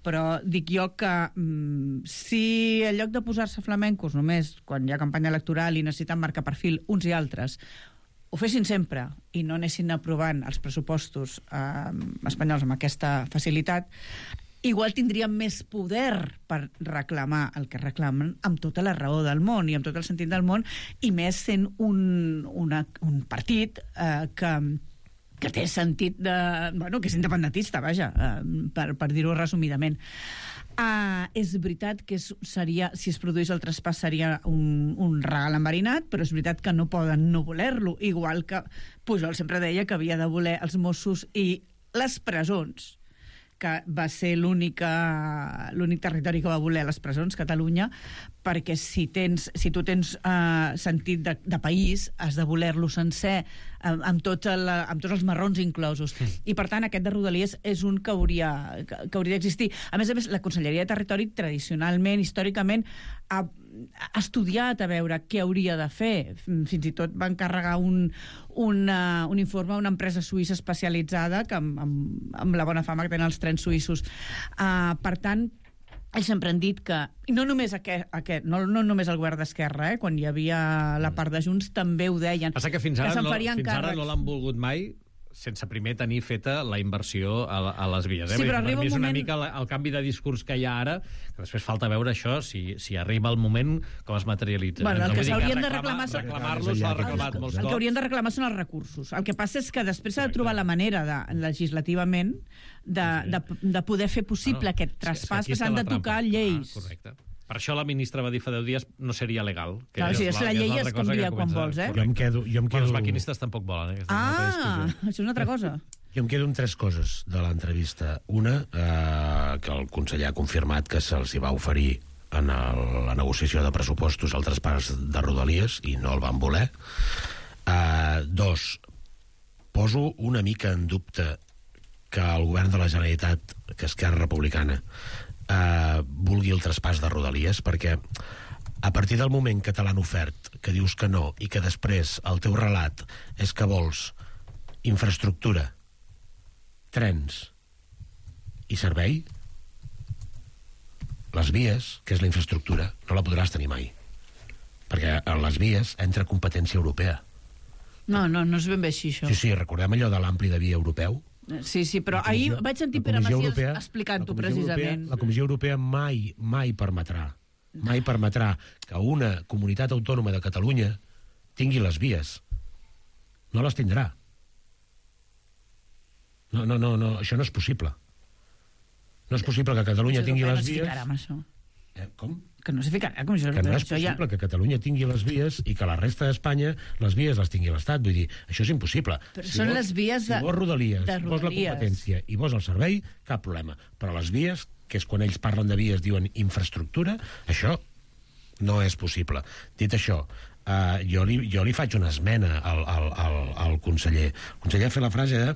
Speaker 8: Però dic jo que mm, si en lloc de posar-se flamencos només quan hi ha campanya electoral i necessiten marcar perfil uns i altres, ho fessin sempre i no anessin aprovant els pressupostos eh, espanyols amb aquesta facilitat, igual tindríem més poder per reclamar el que reclamen amb tota la raó del món i amb tot el sentit del món, i més sent un, una, un partit eh, que que té sentit de... Bueno, que és independentista, vaja, eh, per, per dir-ho resumidament. Uh, és veritat que és, seria, si es produís el traspàs seria un, un regal enverinat, però és veritat que no poden no voler-lo, igual que Pujol sempre deia que havia de voler els Mossos i les presons, que va ser l'únic territori que va voler les presons, Catalunya, perquè si, tens, si tu tens uh, sentit de, de país, has de voler-lo sencer, amb, amb, tot el, amb tots els marrons inclosos. Mm. I, per tant, aquest de Rodalies és un que hauria, que, que hauria d'existir. A més a més, la Conselleria de Territori, tradicionalment, històricament, ha, ha estudiat a veure què hauria de fer. Fins i tot va encarregar un, una, un informe a una empresa suïssa especialitzada, que amb, amb, amb la bona fama que tenen els trens suïssos. Uh, per tant, ells sempre han dit que, i no només, aquest, aquest, no, no només el govern d'Esquerra, eh, quan hi havia la part de Junts, també ho deien.
Speaker 2: Passa que fins ara,
Speaker 8: que
Speaker 2: no, fins ara no l'han volgut mai, sense primer tenir feta la inversió a, a les vies. Eh?
Speaker 8: Sí, però arriba
Speaker 2: per mi és
Speaker 8: un
Speaker 2: una
Speaker 8: moment...
Speaker 2: mica el, el canvi de discurs que hi ha ara, que després falta veure això, si, si arriba el moment, com es materialitza.
Speaker 8: Bueno, el
Speaker 2: no
Speaker 8: que s'haurien de
Speaker 2: reclamar...
Speaker 8: reclamar...
Speaker 2: Reclamar-lo s'ha reclamat molts cops.
Speaker 8: El que haurien de reclamar són els recursos. El que passa és que després s'ha de trobar la manera, de, legislativament, de, de, de poder fer possible bueno, aquest traspàs, que s'han de tocar lleis.
Speaker 2: Ah, correcte. Per això la ministra va dir fa deu dies no seria legal. Que
Speaker 8: clar,
Speaker 2: és
Speaker 8: sí, és la, la llei es canvia quan vols, eh?
Speaker 7: Jo em quedo... Jo em quedo...
Speaker 2: Bueno, els maquinistes tampoc volen, eh?
Speaker 8: Ah, això és una altra cosa.
Speaker 7: Jo em quedo amb tres coses de l'entrevista. Una, eh, que el conseller ha confirmat que se'ls hi va oferir en el, la negociació de pressupostos altres parts de Rodalies i no el van voler. Eh, dos, poso una mica en dubte que el govern de la Generalitat, que Esquerra Republicana, eh, vulgui el traspàs de Rodalies, perquè a partir del moment que te l'han ofert, que dius que no, i que després el teu relat és que vols infraestructura, trens i servei, les vies, que és la infraestructura, no la podràs tenir mai. Perquè en les vies entra competència europea.
Speaker 8: No, no, no és ben bé així, això.
Speaker 7: Sí, sí, recordem allò de l'ampli de via europeu?
Speaker 8: Sí, sí, però ahir vaig sentir Pere Macias explicant-ho precisament.
Speaker 7: La Comissió Europea mai, mai permetrà, mai permetrà que una comunitat autònoma de Catalunya tingui les vies. No les tindrà. No, no, no, no, això no és possible. No és possible que Catalunya tingui les vies...
Speaker 8: No amb això.
Speaker 7: Eh, com?
Speaker 8: Que no s'hi ficarà. Com això,
Speaker 7: que no és
Speaker 8: això
Speaker 7: possible
Speaker 8: ja...
Speaker 7: que Catalunya tingui les vies i que la resta d'Espanya les vies les tingui l'Estat. Vull dir, això és impossible.
Speaker 8: Però
Speaker 7: si
Speaker 8: són
Speaker 7: vols,
Speaker 8: les vies de,
Speaker 7: si vols Rodalies,
Speaker 8: de
Speaker 7: vols la
Speaker 8: Rodalies.
Speaker 7: competència i vols el servei, cap problema. Però les vies, que és quan ells parlen de vies, diuen infraestructura, això no és possible. Dit això, Uh, jo, li, jo li faig una esmena al, al, al, al conseller. El conseller ha fet la frase de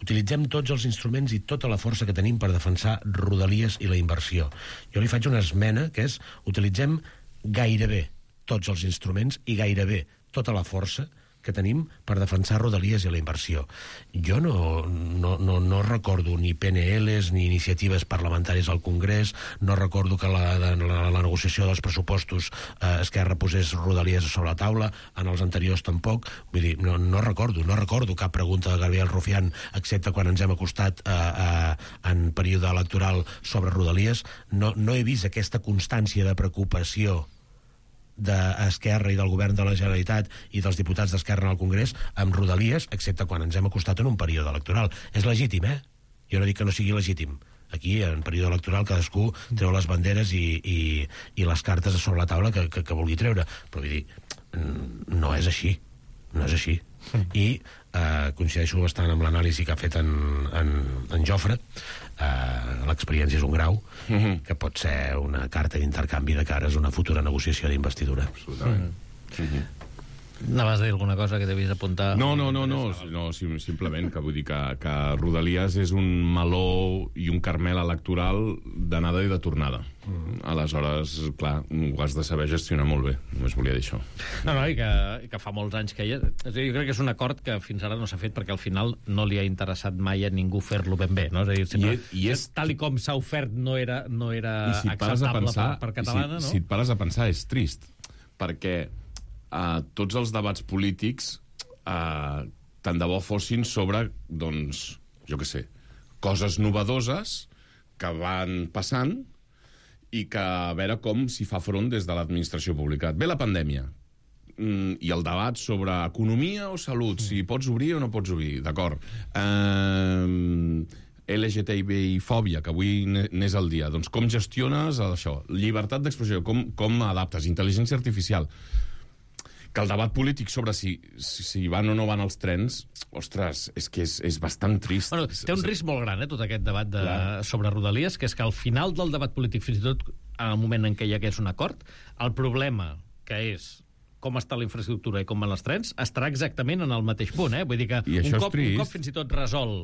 Speaker 7: utilitzem tots els instruments i tota la força que tenim per defensar Rodalies i la inversió. Jo li faig una esmena que és utilitzem gairebé tots els instruments i gairebé tota la força que tenim per defensar Rodalies i la inversió. Jo no, no, no, no recordo ni P N Ls ni iniciatives parlamentàries al Congrés, no recordo que la, la, la negociació dels pressupostos eh, Esquerra posés Rodalies sobre la taula, en els anteriors tampoc. Vull dir, no, no recordo, no recordo cap pregunta de Gabriel Rufián, excepte quan ens hem acostat eh, eh, en període electoral sobre Rodalies. No, no he vist aquesta constància de preocupació d'Esquerra i del govern de la Generalitat i dels diputats d'Esquerra en el Congrés amb Rodalies, excepte quan ens hem acostat en un període electoral. És legítim, eh? Jo no dic que no sigui legítim. Aquí, en període electoral, cadascú treu les banderes i, i, i les cartes sobre la taula que, que, que vulgui treure. Però vull dir, no és així. No és així. I eh, coincideixo bastant amb l'anàlisi que ha fet en, en, en Jofre. Eh, l'experiència és un grau mm-hmm. que pot ser una carta d'intercanvi de cares a una futura negociació d'investidura.
Speaker 9: Absolutament. Mm-hmm.
Speaker 2: Anaves a dir alguna cosa que devies apuntar?
Speaker 9: No, no, no, no, no sim, simplement que vull dir que, que Rodalies és un meló i un carmel electoral d'anada i de tornada. Mm. Aleshores, clar, ho has de saber gestionar molt bé. Només volia dir això.
Speaker 2: No, no, i que, i que fa molts anys que hi ha... És a dir, jo crec que és un acord que fins ara no s'ha fet perquè al final no li ha interessat mai a ningú fer-lo ben bé, no? És a dir, sempre, I, i és... tal i com s'ha ofert no era, no era
Speaker 9: si
Speaker 2: acceptable
Speaker 9: pensar,
Speaker 2: per, per catalana,
Speaker 9: si,
Speaker 2: no?
Speaker 9: Si et pares a pensar, és trist, perquè Uh, tots els debats polítics uh, tant de bo fossin sobre, doncs, jo què sé, coses novedoses que van passant i que a veure com s'hi fa front des de l'administració pública. Ve la pandèmia mm, i el debat sobre economia o salut, si pots obrir o no pots obrir, d'acord. Uh, L G T B I fòbia, que avui n'és el dia. Doncs com gestiones això? Llibertat d'expressió, com, com adaptes? Intel·ligència artificial. Que el debat polític sobre si, si, si van o no van els trens, ostres, és que és, és bastant trist.
Speaker 2: Bueno, té un risc molt gran, eh, tot aquest debat de, sobre Rodalies, que és que al final del debat polític, fins i tot en el moment en què hi hagués un acord, el problema que és com està la infraestructura i com van els trens, estarà exactament en el mateix punt, eh? Vull dir que un cop, un cop fins i tot resol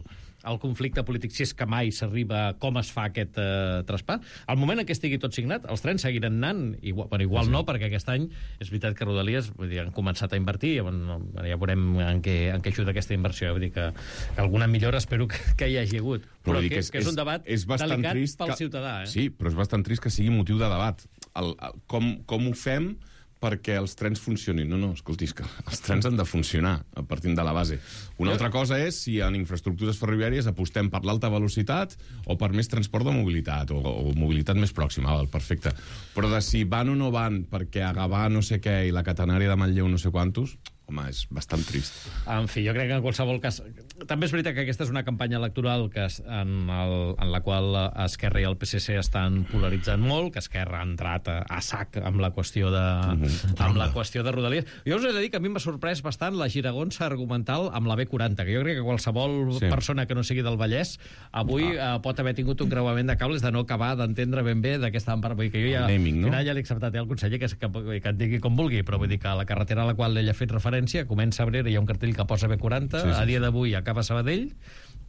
Speaker 2: el conflicte polític, si és que mai s'arriba a com es fa aquest eh, traspàs, al moment en què estigui tot signat, els trens seguiran anant, igual, bueno, igual sí. no, perquè aquest any és veritat que Rodalies vull dir, han començat a invertir, bueno, ja veurem en què, en què ajuda aquesta inversió, vull dir que, que alguna millora espero que, que hi hagi hagut, però, però que, que, és, que és un debat és delicat pel
Speaker 9: que,
Speaker 2: ciutadà. Eh?
Speaker 9: Sí, però és bastant trist que sigui motiu de debat. El, el, com, com ho fem perquè els trens funcionin. No, no, escoltis, que els trens han de funcionar a partir de la base. Una altra cosa és si en infraestructures ferroviàries apostem per l'alta velocitat o per més transport de mobilitat o, o mobilitat més pròxima, val, perfecte. Però de si van o no van perquè a Gavà no sé què i la catenària de Manlleu no sé quantos, home, és bastant trist.
Speaker 2: En fi, jo crec que en qualsevol cas... També és veritat que aquesta és una campanya electoral que es, en, el, en la qual Esquerra i el P S C estan polaritzant molt, que Esquerra ha entrat a, a sac amb la qüestió de, mm-hmm. amb la qüestió de Rodalies. Jo us he de dir que a mi m'ha sorprès bastant la giragonsa argumental amb la B quaranta, que jo crec que qualsevol sí. persona que no sigui del Vallès avui ah. eh, pot haver tingut un creuament de cables de no acabar d'entendre ben bé de què estàvem parlant. Vull dir que jo ja, naming, no? Final ja l'he acceptat eh, el conseller que, que, que et digui com vulgui, però vull dir que la carretera a la qual ell ha fet referència comença a Abrera, hi ha un cartell que posa B quaranta, sí, sí, a dia d'avui acaba a Sabadell,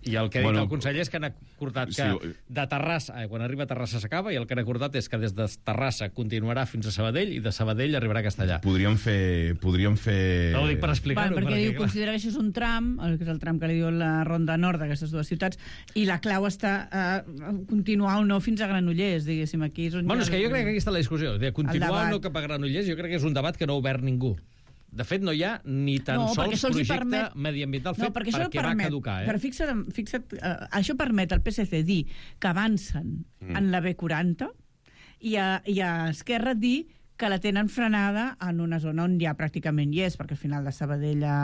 Speaker 2: i el que ha dit bueno, el conseller és que han acordat que sí, de Terrassa, eh, quan arriba a Terrassa s'acaba, i el que han acordat és que des de Terrassa continuarà fins a Sabadell, i de Sabadell arribarà a Castellà.
Speaker 9: Podríem fer... Podríem fer...
Speaker 2: No ho dic per explicar-ho.
Speaker 8: Perquè diu, considera que això és un tram, que és el tram que li diu la ronda nord d'aquestes dues ciutats, i la clau està a uh, continuar o no fins a Granollers, diguéssim, aquí és on...
Speaker 2: Bueno, és que jo crec que aquí està la discussió, de continuar o no cap a Granollers, jo crec que és un debat que no ha obert ningú. De fet, no hi ha ni tan no, sols projecte permet... mediambiental fet no, perquè, perquè permet, va caducar. Eh?
Speaker 8: Per fixa't, fixa't uh, això permet al P S C dir que avancen mm. en la B quaranta i a, i a Esquerra dir que la tenen frenada en una zona on ja pràcticament hi és, perquè al final de Sabadell a,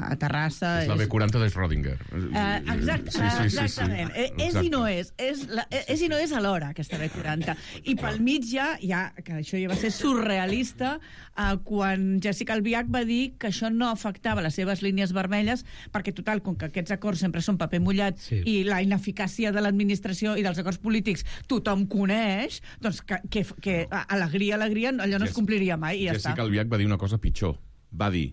Speaker 8: a Terrassa...
Speaker 9: És la B quaranta de Schrödinger.
Speaker 8: Uh, exacte, sí, sí, sí, exactament. Sí, sí. És i no és. És, la, és i no és alhora, aquesta B quaranta. I pel mig ja, ja que això ja va ser surrealista, uh, quan Jessica Albiach va dir que això no afectava les seves línies vermelles, perquè, total, com que aquests acords sempre són paper mullat sí. i la ineficàcia de l'administració i dels acords polítics tothom coneix, doncs que, que, que alegria, alegria, allò no es compliria mai i ja
Speaker 9: Jessica
Speaker 8: està.
Speaker 9: Albiach va dir una cosa pitjor. Va dir,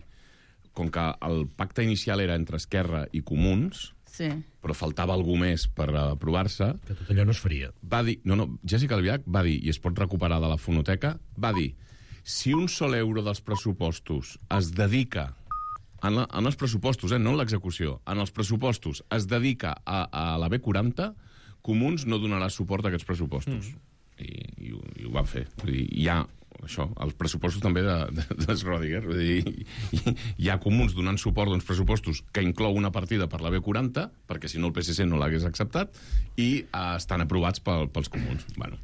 Speaker 9: com que el pacte inicial era entre Esquerra i Comuns,
Speaker 8: sí.
Speaker 9: però faltava algú més per aprovar-se...
Speaker 7: Que tot allò no es faria.
Speaker 9: Va dir... No, no, Jessica Albiach va dir, i es pot recuperar de la fonoteca, va dir, si un sol euro dels pressupostos es dedica... En, la, en els pressupostos, eh, no en l'execució, en els pressupostos es dedica a, a la B quaranta, Comuns no donarà suport a aquests pressupostos. Mm. I, i, ho, i ho van fer. Vull dir, hi ha això, els pressupostos també de, de, de Schrödinger. Vull dir, hi, hi ha Comuns donant suport d'uns pressupostos que inclou una partida per la B quaranta, perquè si no el P S C no l'hagués acceptat, i eh, estan aprovats pel, pels Comuns. Bueno.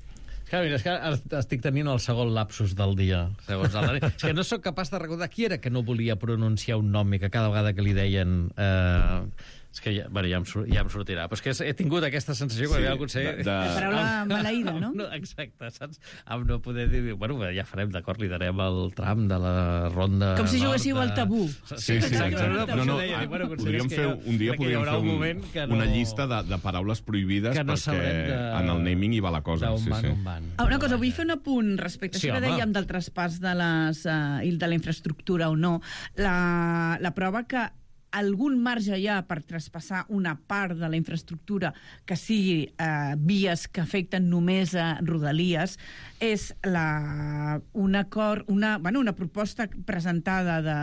Speaker 2: Clar, mira, és que estic tenint el segon lapsus del dia, segons el Dani. És que no sóc capaç de recordar qui era que no volia pronunciar un nom i que cada vegada que li deien... Eh, és que ja, bueno, ja, em, ja em sortirà. Però és que he tingut aquesta sensació quan sí, havia aconseguit...
Speaker 8: De, de... La paraula maleïda, no?
Speaker 2: no? Exacte, saps? Amb no poder dir... Bueno, ja farem, d'acord, li darem el tram de la ronda...
Speaker 8: Com si juguéssiu al tabú.
Speaker 9: Sí, sí, sí exacte. No, no, ah, podríem fer, un dia podríem fer un, un no... una llista de, de paraules prohibides no perquè de... en el naming hi va la cosa. Sí,
Speaker 8: sí. Ah, una cosa, vull fer un apunt respecte a sí, això que dèiem del traspàs de, les, uh, de la infraestructura o no. La, la prova que algun marge hi ha per traspassar una part de la infraestructura que sigui eh, vies que afecten només a Rodalies és la, un acord, una, bueno, una proposta presentada de,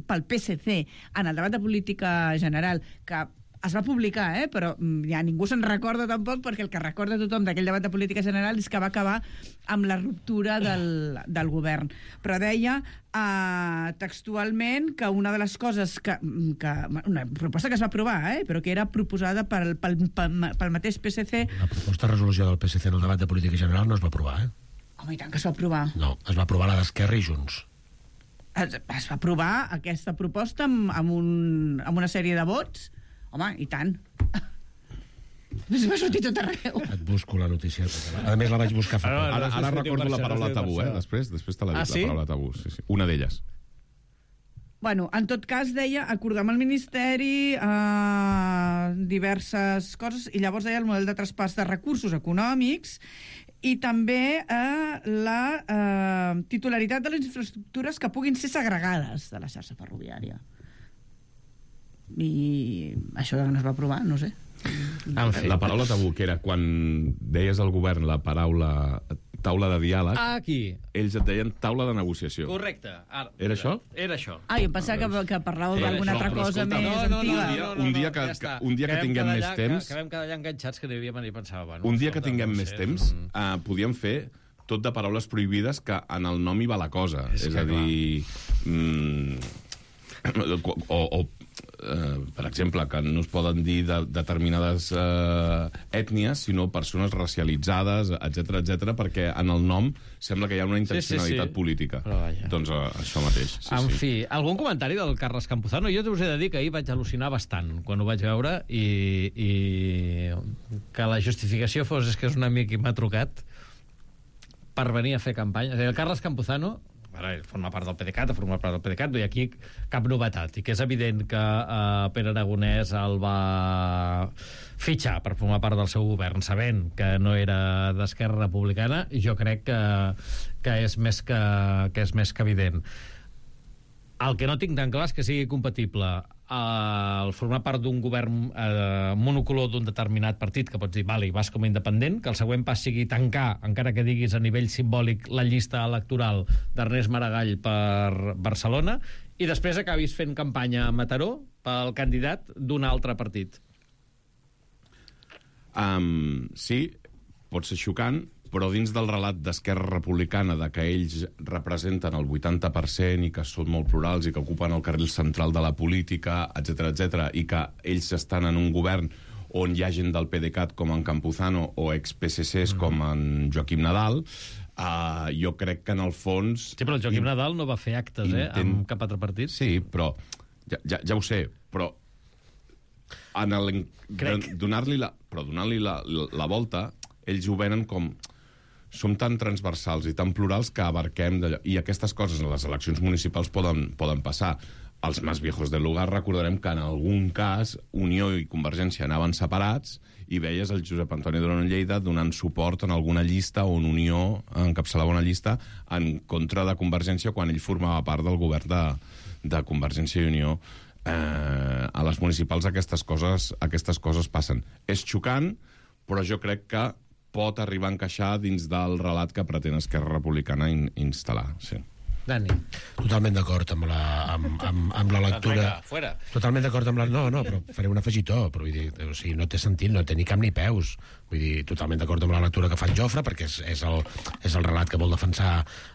Speaker 8: pel P S C en el debat de política general que es va publicar, eh? Però ja ningú se'n recorda tampoc, perquè el que recorda tothom d'aquell debat de política general és que va acabar amb la ruptura del, del govern. Però deia eh, textualment que una de les coses que, que... Una proposta que es va aprovar, eh? Però que era proposada pel, pel, pel, pel mateix P S C...
Speaker 7: La proposta de resolució del P S C en el debat de política general no es va aprovar, eh?
Speaker 8: Home, i tant que es va aprovar.
Speaker 7: No, es va aprovar la d'Esquerra i Junts.
Speaker 8: Es, es va aprovar aquesta proposta amb, amb, un, amb una sèrie de vots. Home, i tant. Es va sortir tot arreu.
Speaker 7: Et busco la notícia. A més, la vaig buscar fa poc.
Speaker 9: Ara, ara recordo la paraula tabú, eh? Després, després te l'ha dit, ah, sí? La paraula tabú. Sí, sí. Una d'elles.
Speaker 8: Bueno, en tot cas, deia, acordar amb el Ministeri eh, diverses coses, i llavors deia el model de traspàs de recursos econòmics i també eh, la eh, titularitat de les infraestructures que puguin ser segregades de la xarxa ferroviària. I això no es va aprovar, no sé.
Speaker 9: En fi, la paraula tabú, que era quan deies al govern la paraula taula de diàleg,
Speaker 2: ah, aquí.
Speaker 9: Ells et deien taula de negociació.
Speaker 2: Correcte. Ara,
Speaker 9: era això?
Speaker 2: Era això.
Speaker 8: Ah, jo em pensava que, que parlàveu d'alguna altra cosa més
Speaker 2: no, no,
Speaker 8: antiga.
Speaker 2: No, no, no,
Speaker 9: un dia que, ja que, un dia que tinguem més temps...
Speaker 2: Que vam quedar allà enganxats, que devíem anar i pensava... Bueno,
Speaker 9: un dia que tinguem més temps, uh, podíem fer tot de paraules prohibides que en el nom hi va la cosa. És, és a dir... Mm, o... o Uh, per exemple, que no es poden dir de, determinades uh, ètnies, sinó persones racialitzades, etcètera, etcètera, perquè en el nom sembla que hi ha una intencionalitat sí, sí, sí. política. Doncs uh, això mateix. Sí,
Speaker 2: en
Speaker 9: sí.
Speaker 2: fi, algun comentari del Carles Campuzano? Jo us he de dir que ahir vaig al·lucinar bastant quan ho vaig veure i, i que la justificació fos és que és un amic i m'ha trucat per venir a fer campanya. El Carles Campuzano ara, forma part del PDeCAT, forma part del PDeCAT, no hi ha aquí cap novetat, i que és evident que eh, Pere Aragonès el va fitxar per formar part del seu govern, sabent que no era d'Esquerra Republicana, i jo crec que, que, és més que, que és més que evident. El que no tinc tan clar és que sigui compatible el formar part d'un govern eh, monocolor d'un determinat partit, que pots dir, vale, vas com a independent, que el següent pas sigui tancar, encara que diguis a nivell simbòlic, la llista electoral d'Ernest Maragall per Barcelona, i després acabis fent campanya a Mataró pel candidat d'un altre partit.
Speaker 9: Um, sí, pot ser xocant, però dins del relat d'Esquerra Republicana de que ells representen el vuitanta per cent i que són molt plurals i que ocupen el carril central de la política, etcètera, etcètera, i que ells estan en un govern on hi ha gent del PDeCAT com en Campuzano o ex-P S Cs mm. com en Joaquim Nadal, Uh, jo crec que en el fons...
Speaker 2: Sí, però el Joaquim Nadal no va fer actes, eh,
Speaker 9: intent...
Speaker 2: amb cap altre partit.
Speaker 9: Sí, però... Ja, ja, ja ho sé, però... En el...
Speaker 2: Crec.
Speaker 9: Donar-li la... Però donar-li la, la, la volta, ells ho venen com... Som tan transversals i tan plurals que abarquem... d'allò. I aquestes coses en les eleccions municipals poden, poden passar. Els més viejos del lugar recordarem que en algun cas Unió i Convergència anaven separats i veies el Josep Antoni Duran Lleida donant suport en alguna llista on Unió encapçalava una llista en contra de Convergència quan ell formava part del govern de, de Convergència i Unió. Eh, a les municipals aquestes coses, aquestes coses passen. És xocant, però jo crec que pot arribar a encaixar dins del relat que pretén Esquerra Republicana in, instal·lar. Sí.
Speaker 2: Dani.
Speaker 7: Totalment d'acord amb, la, amb, amb, amb la lectura.
Speaker 2: Vinga, fuera.
Speaker 7: Totalment d'acord amb la... No, no, però faré un afegitó, però vull dir, o sigui, no té sentit, no té ni cap ni peus. Vull dir, totalment d'acord amb la lectura que fa en Jofre, perquè és, és, el, és el relat que vol defensar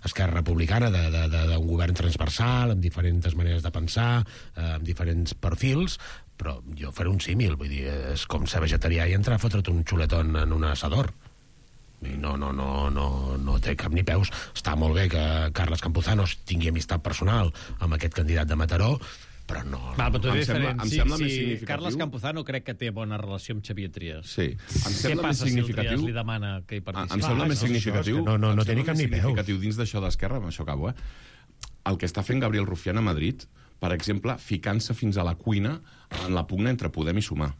Speaker 7: Esquerra Republicana d'un govern transversal, amb diferents maneres de pensar, eh, amb diferents perfils, però jo faré un símil, vull dir, és com ser vegetarià i entrar a fotre't un xuletón en un assador. No, no, no, no, no té cap ni peus. Està molt bé que Carles Campuzano tingui amistat personal amb aquest candidat de Mataró, però no...
Speaker 2: Va, però tu és diferent.
Speaker 9: Em
Speaker 2: Sí,
Speaker 9: sembla
Speaker 2: sí,
Speaker 9: més significatiu.
Speaker 2: Carles Campuzano crec que té bona relació amb Xavier Trias.
Speaker 9: Sí. Em
Speaker 2: Què
Speaker 9: sembla més
Speaker 2: passa si el Trias
Speaker 9: significatiu...
Speaker 2: li demana que hi participi?
Speaker 9: Em sembla
Speaker 7: Ah,
Speaker 9: més
Speaker 7: això,
Speaker 9: significatiu...
Speaker 7: això, és que no- no- no
Speaker 9: em
Speaker 7: té ni
Speaker 9: sembla
Speaker 7: cap
Speaker 9: més
Speaker 7: ni peus.
Speaker 9: significatiu dins d'això d'Esquerra, amb això acabo, eh? El que està fent Gabriel Rufián a Madrid, per exemple, ficant-se fins a la cuina en la pugna entre Podem i Sumar,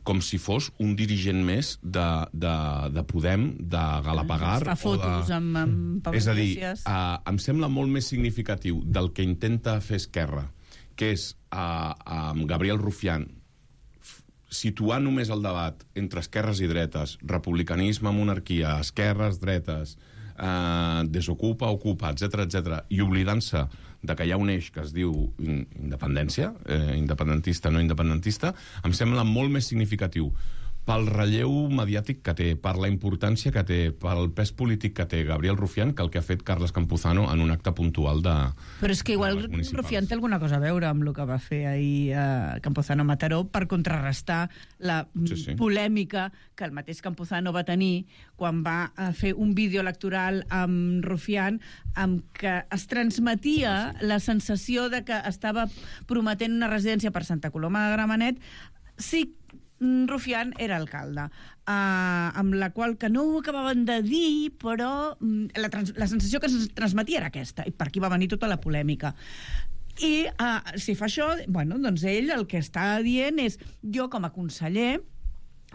Speaker 9: com si fos un dirigent més de, de, de Podem, de Galapagar...
Speaker 8: Fa fotos
Speaker 9: de...
Speaker 8: amb, amb Pablo
Speaker 9: És a dir,
Speaker 8: Iglesias.
Speaker 9: uh, em sembla molt més significatiu del que intenta fer Esquerra, que és uh, amb Gabriel Rufián situar només el debat entre esquerres i dretes, republicanisme, monarquia, esquerres, dretes, eh, desocupa, ocupa, etcètera, etcètera, i oblidant-se de que hi ha un eix que es diu independència, eh, independentista, no independentista, em sembla molt més significatiu pel relleu mediàtic que té, per la importància que té, pel pes polític que té Gabriel Rufián, que el que ha fet Carles Campuzano en un acte puntual de...
Speaker 8: Però és que igual Rufián té alguna cosa a veure amb el que va fer ahir eh, Campuzano a Mataró per contrarrestar la
Speaker 9: Sí, sí.
Speaker 8: polèmica que el mateix Campuzano va tenir quan va eh, fer un vídeo electoral amb Rufián amb que es transmetia la sensació de que estava prometent una residència per Santa Coloma de Gramenet si Rufián era alcalde, uh, amb la qual que no ho acabaven de dir, però mm, la, trans la sensació que es transmetia era aquesta, i per aquí va venir tota la polèmica. I uh, si fa això, bueno, doncs ell el que està dient és jo com a conseller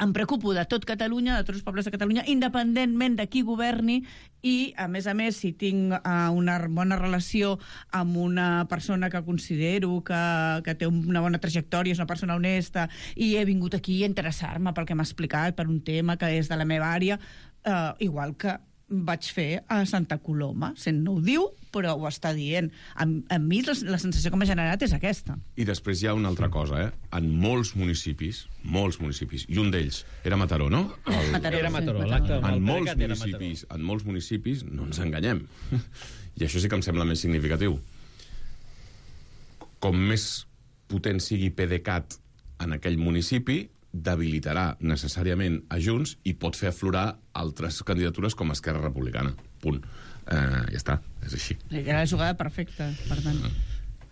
Speaker 8: em preocupo de tot Catalunya, de tots els pobles de Catalunya, independentment de qui governi, i, a més a més, si tinc uh, una bona relació amb una persona que considero que, que té una bona trajectòria, és una persona honesta, i he vingut aquí a interessar-me pel que m'ha explicat, per un tema que és de la meva àrea, uh, igual que vaig fer a Santa Coloma. Sent no ho diu, però ho està dient. A, a mi la, la sensació que m'ha generat és aquesta.
Speaker 9: I després hi ha una altra cosa, eh? En molts municipis, molts municipis, i un d'ells era Mataró, no? El...
Speaker 8: Mataró,
Speaker 2: Era
Speaker 8: sí,
Speaker 2: Mataró.
Speaker 8: Mataró.
Speaker 2: L'acte amb
Speaker 9: En
Speaker 2: el
Speaker 9: molts
Speaker 2: Pdecat era Mataró.
Speaker 9: municipis, en molts municipis, no ens enganyem. I això sí que em sembla més significatiu. Com més potent sigui PDeCAT en aquell municipi, debilitarà necessàriament a Junts i pot fer aflorar altres candidatures com Esquerra Republicana. Punt. Eh, ja està, és així.
Speaker 8: Era la jugada perfecta, per tant.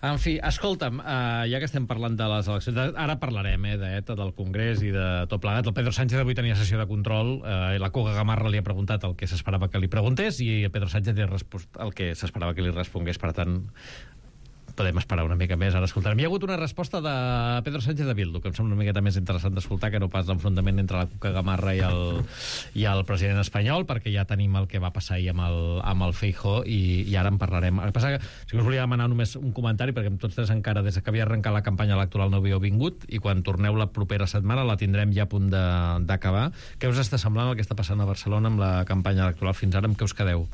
Speaker 2: En fi, escolta'm, uh, ja que estem parlant de les eleccions, de, ara parlarem eh, de, del Congrés i de tot plegat. El Pedro Sánchez avui tenia sessió de control uh, i la Cuca Gamarra li ha preguntat el que s'esperava que li preguntés i el Pedro Sánchez li ha respost el que s'esperava que li respongués. Per tant, podem esperar una mica més, ara escoltarem. Hi ha hagut una resposta de Pedro Sánchez de Bildu, que em sembla una miqueta més interessant d'escoltar que no pas l'enfrontament entre la Cuca Gamarra i el, i el president espanyol, perquè ja tenim el que va passar ahir amb el, amb el Feijóo i, i ara en parlarem. El que passa que si us volia demanar només un comentari, perquè amb tots tres encara des que havia arrencat la campanya electoral no havíeu vingut, i quan torneu la propera setmana la tindrem ja a punt d'acabar. Què us està semblant el que està passant a Barcelona amb la campanya electoral fins ara? Amb què us quedeu?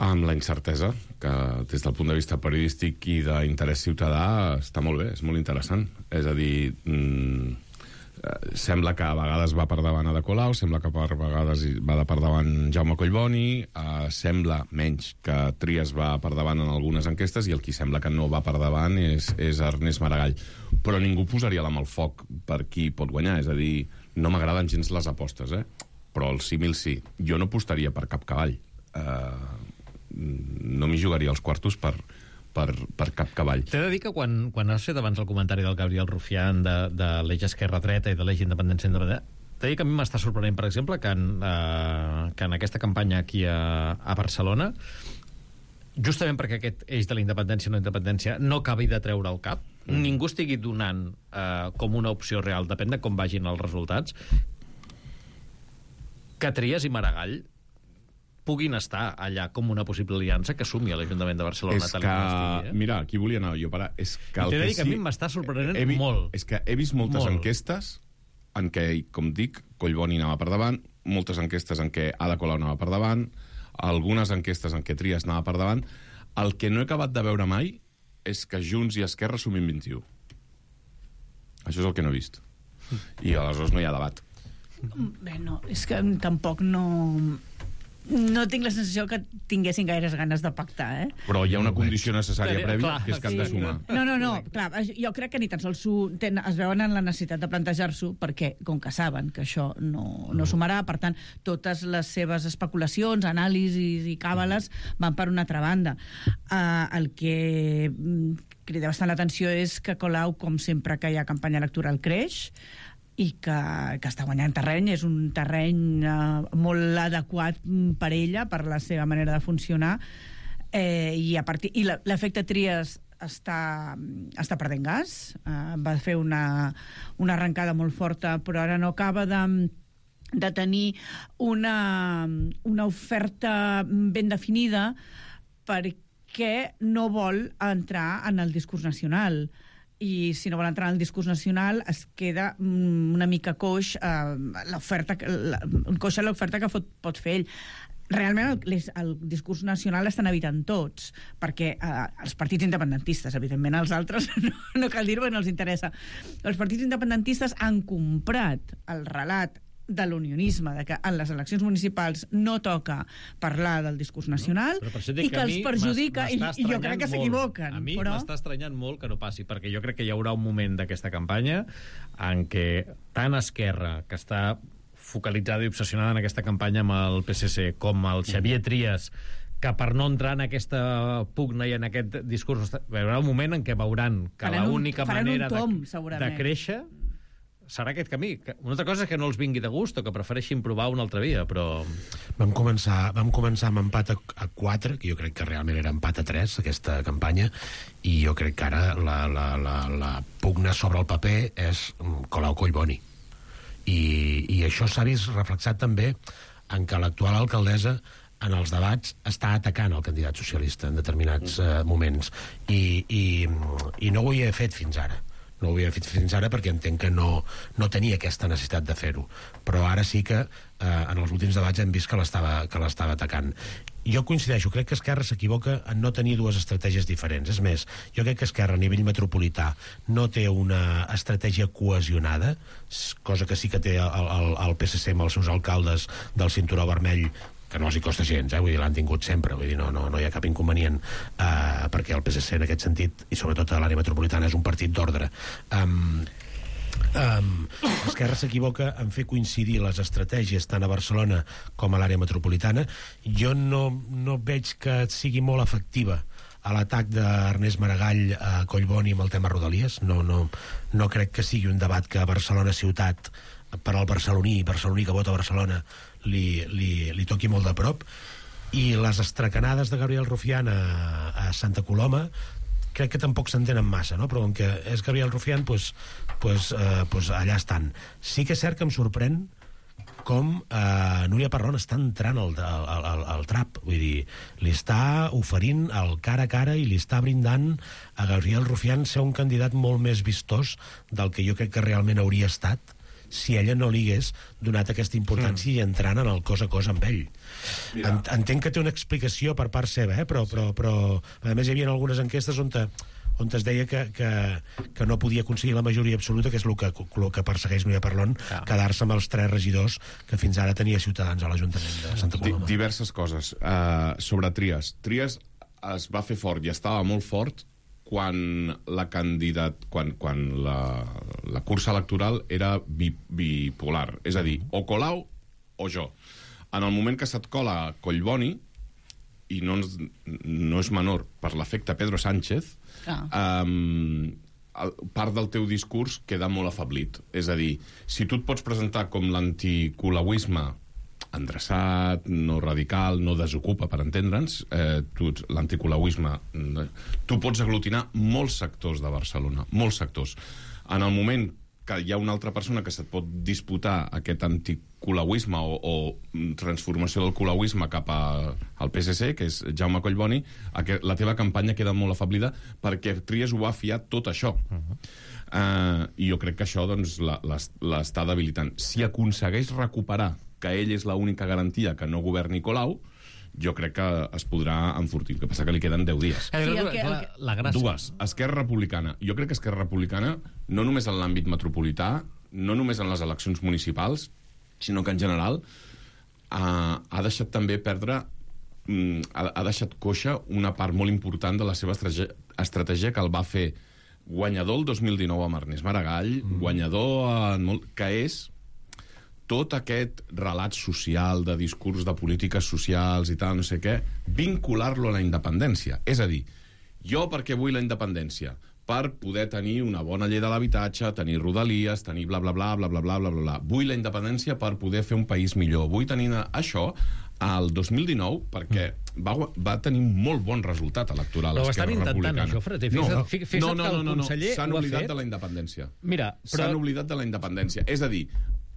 Speaker 9: Amb la incertesa, que des del punt de vista periodístic i d'interès ciutadà està molt bé, és molt interessant. És a dir, mmm, sembla que a vegades va per davant Ada Colau, sembla que per vegades va de per davant Jaume Collboni, eh, sembla menys que Trias va per davant en algunes enquestes i el qui sembla que no va per davant és, és Ernest Maragall. Però ningú posaria la mà al foc per qui pot guanyar, és a dir, no m'agraden gens les apostes, eh? Però el símil sí. Jo no apostaria per cap cavall. eh, no m'hi jugaria els quartos per, per, per cap cavall.
Speaker 2: T'he de dir que quan, quan has fet abans el comentari del Gabriel Rufián de, de l'eix esquerra-dreta i de l'eix independència-independència, t'he de dir que a mi m'està sorprenent, per exemple, que en, eh, que en aquesta campanya aquí a, a Barcelona, justament perquè aquest eix de la independència o no independència no acabi de treure el cap, mm. ningú estigui donant eh, com una opció real, depèn de com vagin els resultats, que Trias i Maragall puguin estar allà com una possible aliança que sumi a l'Ajuntament de Barcelona.
Speaker 9: És que, mira, aquí volia anar jo parar. És que
Speaker 2: T'he de dir que a mi m'està sorprenent
Speaker 9: he,
Speaker 2: molt.
Speaker 9: És que he vist moltes
Speaker 2: molt.
Speaker 9: enquestes en què, com dic, Collboni anava per davant, moltes enquestes en què Ada Colau anava per davant, algunes enquestes en què Trias anava per davant. El que no he acabat de veure mai és que Junts i Esquerra sumin vint-i-u. Això és el que no he vist. I aleshores no hi ha debat.
Speaker 8: Bé, no, és que tampoc no... No tinc la sensació que tinguessin gaires ganes de pactar, eh?
Speaker 9: Però hi ha una condició necessària
Speaker 2: Clar,
Speaker 9: prèvia,
Speaker 2: clar,
Speaker 9: que és que han de
Speaker 2: sí.
Speaker 9: sumar.
Speaker 8: No, no, no, clar, jo crec que ni tan sols ten, es veuen en la necessitat de plantejar-s'ho perquè, com que saben que això no, no sumarà, per tant, totes les seves especulacions, anàlisis i càbales van per una altra banda. Uh, el que crida bastant l'atenció és que Colau, com sempre que hi ha campanya electoral, creix, i que, que està guanyant terreny, és un terreny eh, molt adequat per ella, per la seva manera de funcionar, eh, i, a partir, i l'efecte Trias està, està perdent gas, eh, va fer una, una arrencada molt forta, però ara no acaba de, de tenir una, una oferta ben definida perquè no vol entrar en el discurs nacional. I si no vol entrar en el discurs nacional es queda una mica coix eh, l'oferta, la, coixa l'oferta que pot, pot fer ell. Realment el, el discurs nacional l'estan evitant tots, perquè eh, els partits independentistes, evidentment els altres no, no cal dir-ho, no els interessa. Els partits independentistes han comprat el relat de l'unionisme, de que en les eleccions municipals no toca parlar del discurs nacional, no, i que, que els perjudica, i, i jo crec que s'equivoquen.
Speaker 2: A mi
Speaker 8: però...
Speaker 2: m'està estranyant molt que no passi, perquè jo crec que hi haurà un moment d'aquesta campanya en què tant Esquerra, que està focalitzada i obsessionada en aquesta campanya amb el P S C, com el Xavier Trias, que per no entrar en aquesta pugna i en aquest discurs, hi haurà un moment en què veuran que l'única manera
Speaker 8: tom,
Speaker 2: de, de créixer serà aquest camí. Una altra cosa és que no els vingui de gust o que prefereixin provar una altra via, però...
Speaker 7: Vam començar, vam començar amb empat a, a quatre, que jo crec que realment era empat a tres, aquesta campanya, i jo crec que ara la, la, la, la pugna sobre el paper és Colau Collboni. I, i això s'ha vist reflexat també en que l'actual alcaldessa en els debats està atacant el candidat socialista en determinats uh, moments. I, i, I no ho havia fet fins ara. No ho havia fet fins ara perquè entenc que no, no tenia aquesta necessitat de fer-ho. Però ara sí que eh, en els últims debats hem vist que l'estava que l'estava atacant. Jo coincideixo, crec que Esquerra s'equivoca en no tenir dues estratègies diferents. És més, jo crec que Esquerra a nivell metropolità no té una estratègia cohesionada, cosa que sí que té el, el, el P S C amb els seus alcaldes del cinturó vermell, que no els hi costa gens, eh? Vull dir, l'han tingut sempre, vull dir, no, no, no hi ha cap inconvenient, eh, perquè el P S C en aquest sentit, i sobretot a l'àrea metropolitana, és un partit d'ordre. Um, um, Esquerra s'equivoca en fer coincidir les estratègies tant a Barcelona com a l'àrea metropolitana. Jo no, no veig que sigui molt efectiva a l'atac d'Ernest Maragall a Collboni amb el tema Rodalies. No, no, no crec que sigui un debat que a Barcelona ciutat, per al barceloní, barceloní que vota a Barcelona, li, li, li toqui molt de prop. I les estracanades de Gabriel Rufián a, a Santa Coloma crec que tampoc s'entenen massa, no? Però com que és Gabriel Rufián, pues, pues, eh, pues allà estan. Sí que és cert que em sorprèn com eh, Núria Parlon està entrant al, al, al, al trap, vull dir, li està oferint el cara a cara i li està brindant a Gabriel Rufián ser un candidat molt més vistós del que jo crec que realment hauria estat si ella no li hagués donat aquesta importància mm. i entrant en el cos a cos amb ell. En, entenc que té una explicació per part seva, eh? però, però, però a més hi havia algunes enquestes on, te, on es deia que, que, que no podia aconseguir la majoria absoluta, que és el que, el que persegueix Núria Parlon, ah. quedar-se amb els tres regidors que fins ara tenia Ciutadans a l'Ajuntament de Santa Coloma.
Speaker 9: D diverses coses. Uh, sobre Trias. Trias es va fer fort i estava molt fort quan la candidat, quan, quan la, la cursa electoral era bi, bipolar, és a dir, o Colau o jo. En el moment que se't cola Collboni, i no, ens, no és menor, per l'efecte Pedro Sánchez, ah. um, part del teu discurs queda molt afablit. És a dir, si tu et pots presentar com l'anticolauisme endreçat, no radical, no desocupa, per entendre'ns, eh, l'anticolauisme, tu pots aglutinar molts sectors de Barcelona, molts sectors. En el moment que hi ha una altra persona que se't pot disputar aquest anticolauisme o, o transformació del colauisme cap a, al P S C, que és Jaume Collboni, la teva campanya queda molt afablida perquè Trias ho ha fiat tot això. Uh-huh. uh, I jo crec que això doncs, l'està debilitant. Si aconsegueix recuperar que ell és l'única garantia que no governi Colau, jo crec que es podrà enfortir. El que passa que li queden deu dies.
Speaker 2: Sí, el que, el que... La gràcia.
Speaker 9: Dues. Esquerra Republicana. Jo crec que Esquerra Republicana, no només en l'àmbit metropolità, no només en les eleccions municipals, sinó que en general ha, ha deixat també perdre, ha, ha deixat coixa una part molt important de la seva estratègia, estratègia que el va fer guanyador el dos mil dinou amb Ernest Maragall, mm. guanyador en molt, que és tot aquest relat social, de discurs de polítiques socials i tal, no sé què, vincular-lo a la independència. És a dir, jo per què vull la independència? Per poder tenir una bona llei de l'habitatge, tenir rodalies, tenir bla, bla, bla, bla, bla, bla, bla, bla. Vull la independència per poder fer un país millor. Vull tenir això al dos mil dinou perquè va, va tenir un molt bon resultat electoral a Esquerra Republicana.
Speaker 2: Això, Fred, no, fixa't
Speaker 9: no, no, no, no,
Speaker 2: que el conseller
Speaker 9: s'han
Speaker 2: ho ha
Speaker 9: oblidat
Speaker 2: fet.
Speaker 9: de la independència.
Speaker 2: Mira, però...
Speaker 9: S'han oblidat de la independència. És a dir,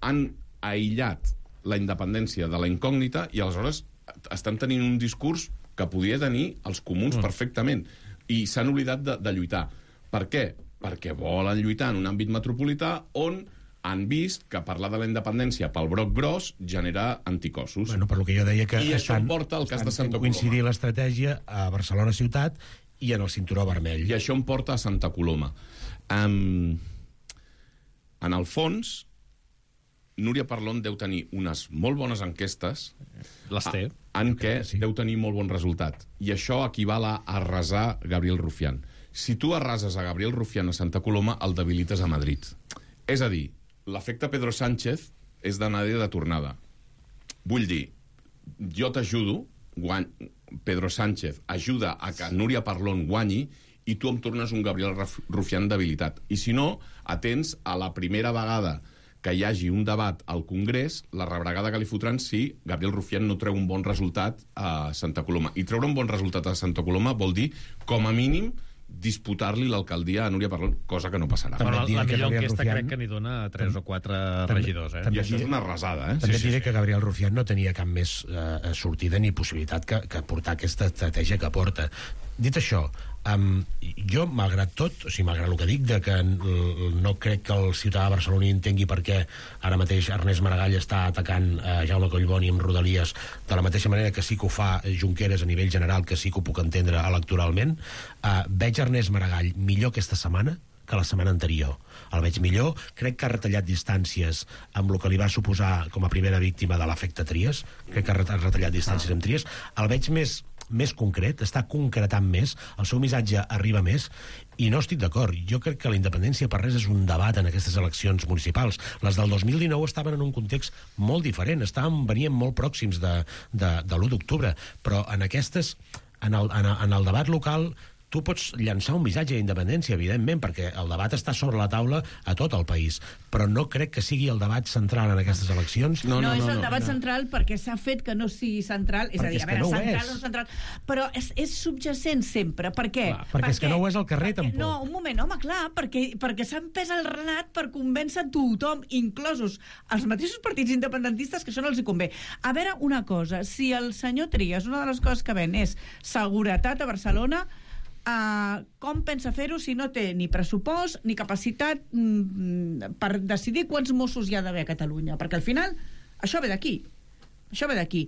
Speaker 9: han aïllat la independència de la incògnita i aleshores estan tenint un discurs que podia tenir els comuns mm. perfectament i s'han oblidat de, de lluitar. Per què? Perquè volen lluitar en un àmbit metropolità on han vist que parlar de la independència pel broc gros genera anticossos.
Speaker 7: Bueno, per lo que jo deia que
Speaker 9: I
Speaker 7: estan,
Speaker 9: això porta al cas de Santa Coloma.
Speaker 7: Coincidir l'estratègia a Barcelona ciutat i en el cinturó vermell.
Speaker 9: I això em porta a Santa Coloma. Um, en el fons, Núria Parlon deu tenir unes molt bones enquestes
Speaker 2: Les té.
Speaker 9: en què sí. deu tenir molt bon resultat. I això equival a arrasar Gabriel Rufián. Si tu arrases a Gabriel Rufián a Santa Coloma, el debilites a Madrid. És a dir, l'efecte Pedro Sánchez és d'anada i de tornada. Vull dir, jo t'ajudo, guany... Pedro Sánchez ajuda a que Núria Parlon guanyi i tu em tornes un Gabriel Rufián debilitat. I si no, atents a la primera vegada que hi hagi un debat al Congrés, la rebregada que li fotran si Gabriel Rufián no treu un bon resultat a Santa Coloma. I treure un bon resultat a Santa Coloma vol dir, com a mínim, disputar-li l'alcaldia a Núria Parlon, cosa que no passarà.
Speaker 2: Però la, la millor enquesta
Speaker 7: Rufián...
Speaker 2: crec que n'hi dona tres o quatre regidors. Eh?
Speaker 9: I això és una arrasada, eh?
Speaker 7: També
Speaker 9: sí,
Speaker 7: diré
Speaker 9: sí,
Speaker 7: que Gabriel Rufián no tenia cap més eh, sortida ni possibilitat que, que portar aquesta estratègia que porta. Dit això, um, jo, malgrat tot, o sigui, malgrat el que dic, de que no crec que el ciutadà barceloní entengui per què ara mateix Ernest Maragall està atacant uh, Jaume Collboni amb Rodalies de la mateixa manera que sí que ho fa Junqueras a nivell general, que sí que ho puc entendre electoralment, uh, veig Ernest Maragall millor aquesta setmana que la setmana anterior. El veig millor, crec que ha retallat distàncies amb el que li va suposar com a primera víctima de l'efecte Trias, crec que ha retallat distàncies amb Trias, el veig més més concret, està concretant més, el seu missatge arriba més, i no estic d'acord. Jo crec que la independència per res és un debat en aquestes eleccions municipals. Les del dos mil dinou estaven en un context molt diferent, estaven, venien molt pròxims de, de, de l'u d'octubre, però en aquestes, en el, en, en el debat local, tu pots llançar un missatge d'independència, evidentment, perquè el debat està sobre la taula a tot el país, però no crec que sigui el debat central en aquestes eleccions.
Speaker 8: No, no, no, no és el debat no. central perquè s'ha fet que no sigui central, és perquè a dir, a veure, no central o no central, però és, és subjacent sempre. Per què?
Speaker 7: Clar, perquè per és que no ho és al carrer,
Speaker 8: perquè,
Speaker 7: tampoc.
Speaker 8: No, un moment, home, clar, perquè, perquè s'ha empès el relat per convèncer tothom, inclosos els mateixos partits independentistes, que això no els hi convé. A veure, una cosa, si el senyor Trias, una de les coses que ven és seguretat a Barcelona, Uh, com pensa fer-ho si no té ni pressupost ni capacitat mm, per decidir quants Mossos hi ha d'haver a Catalunya? Perquè al final això ve d'aquí. Això ve d'aquí.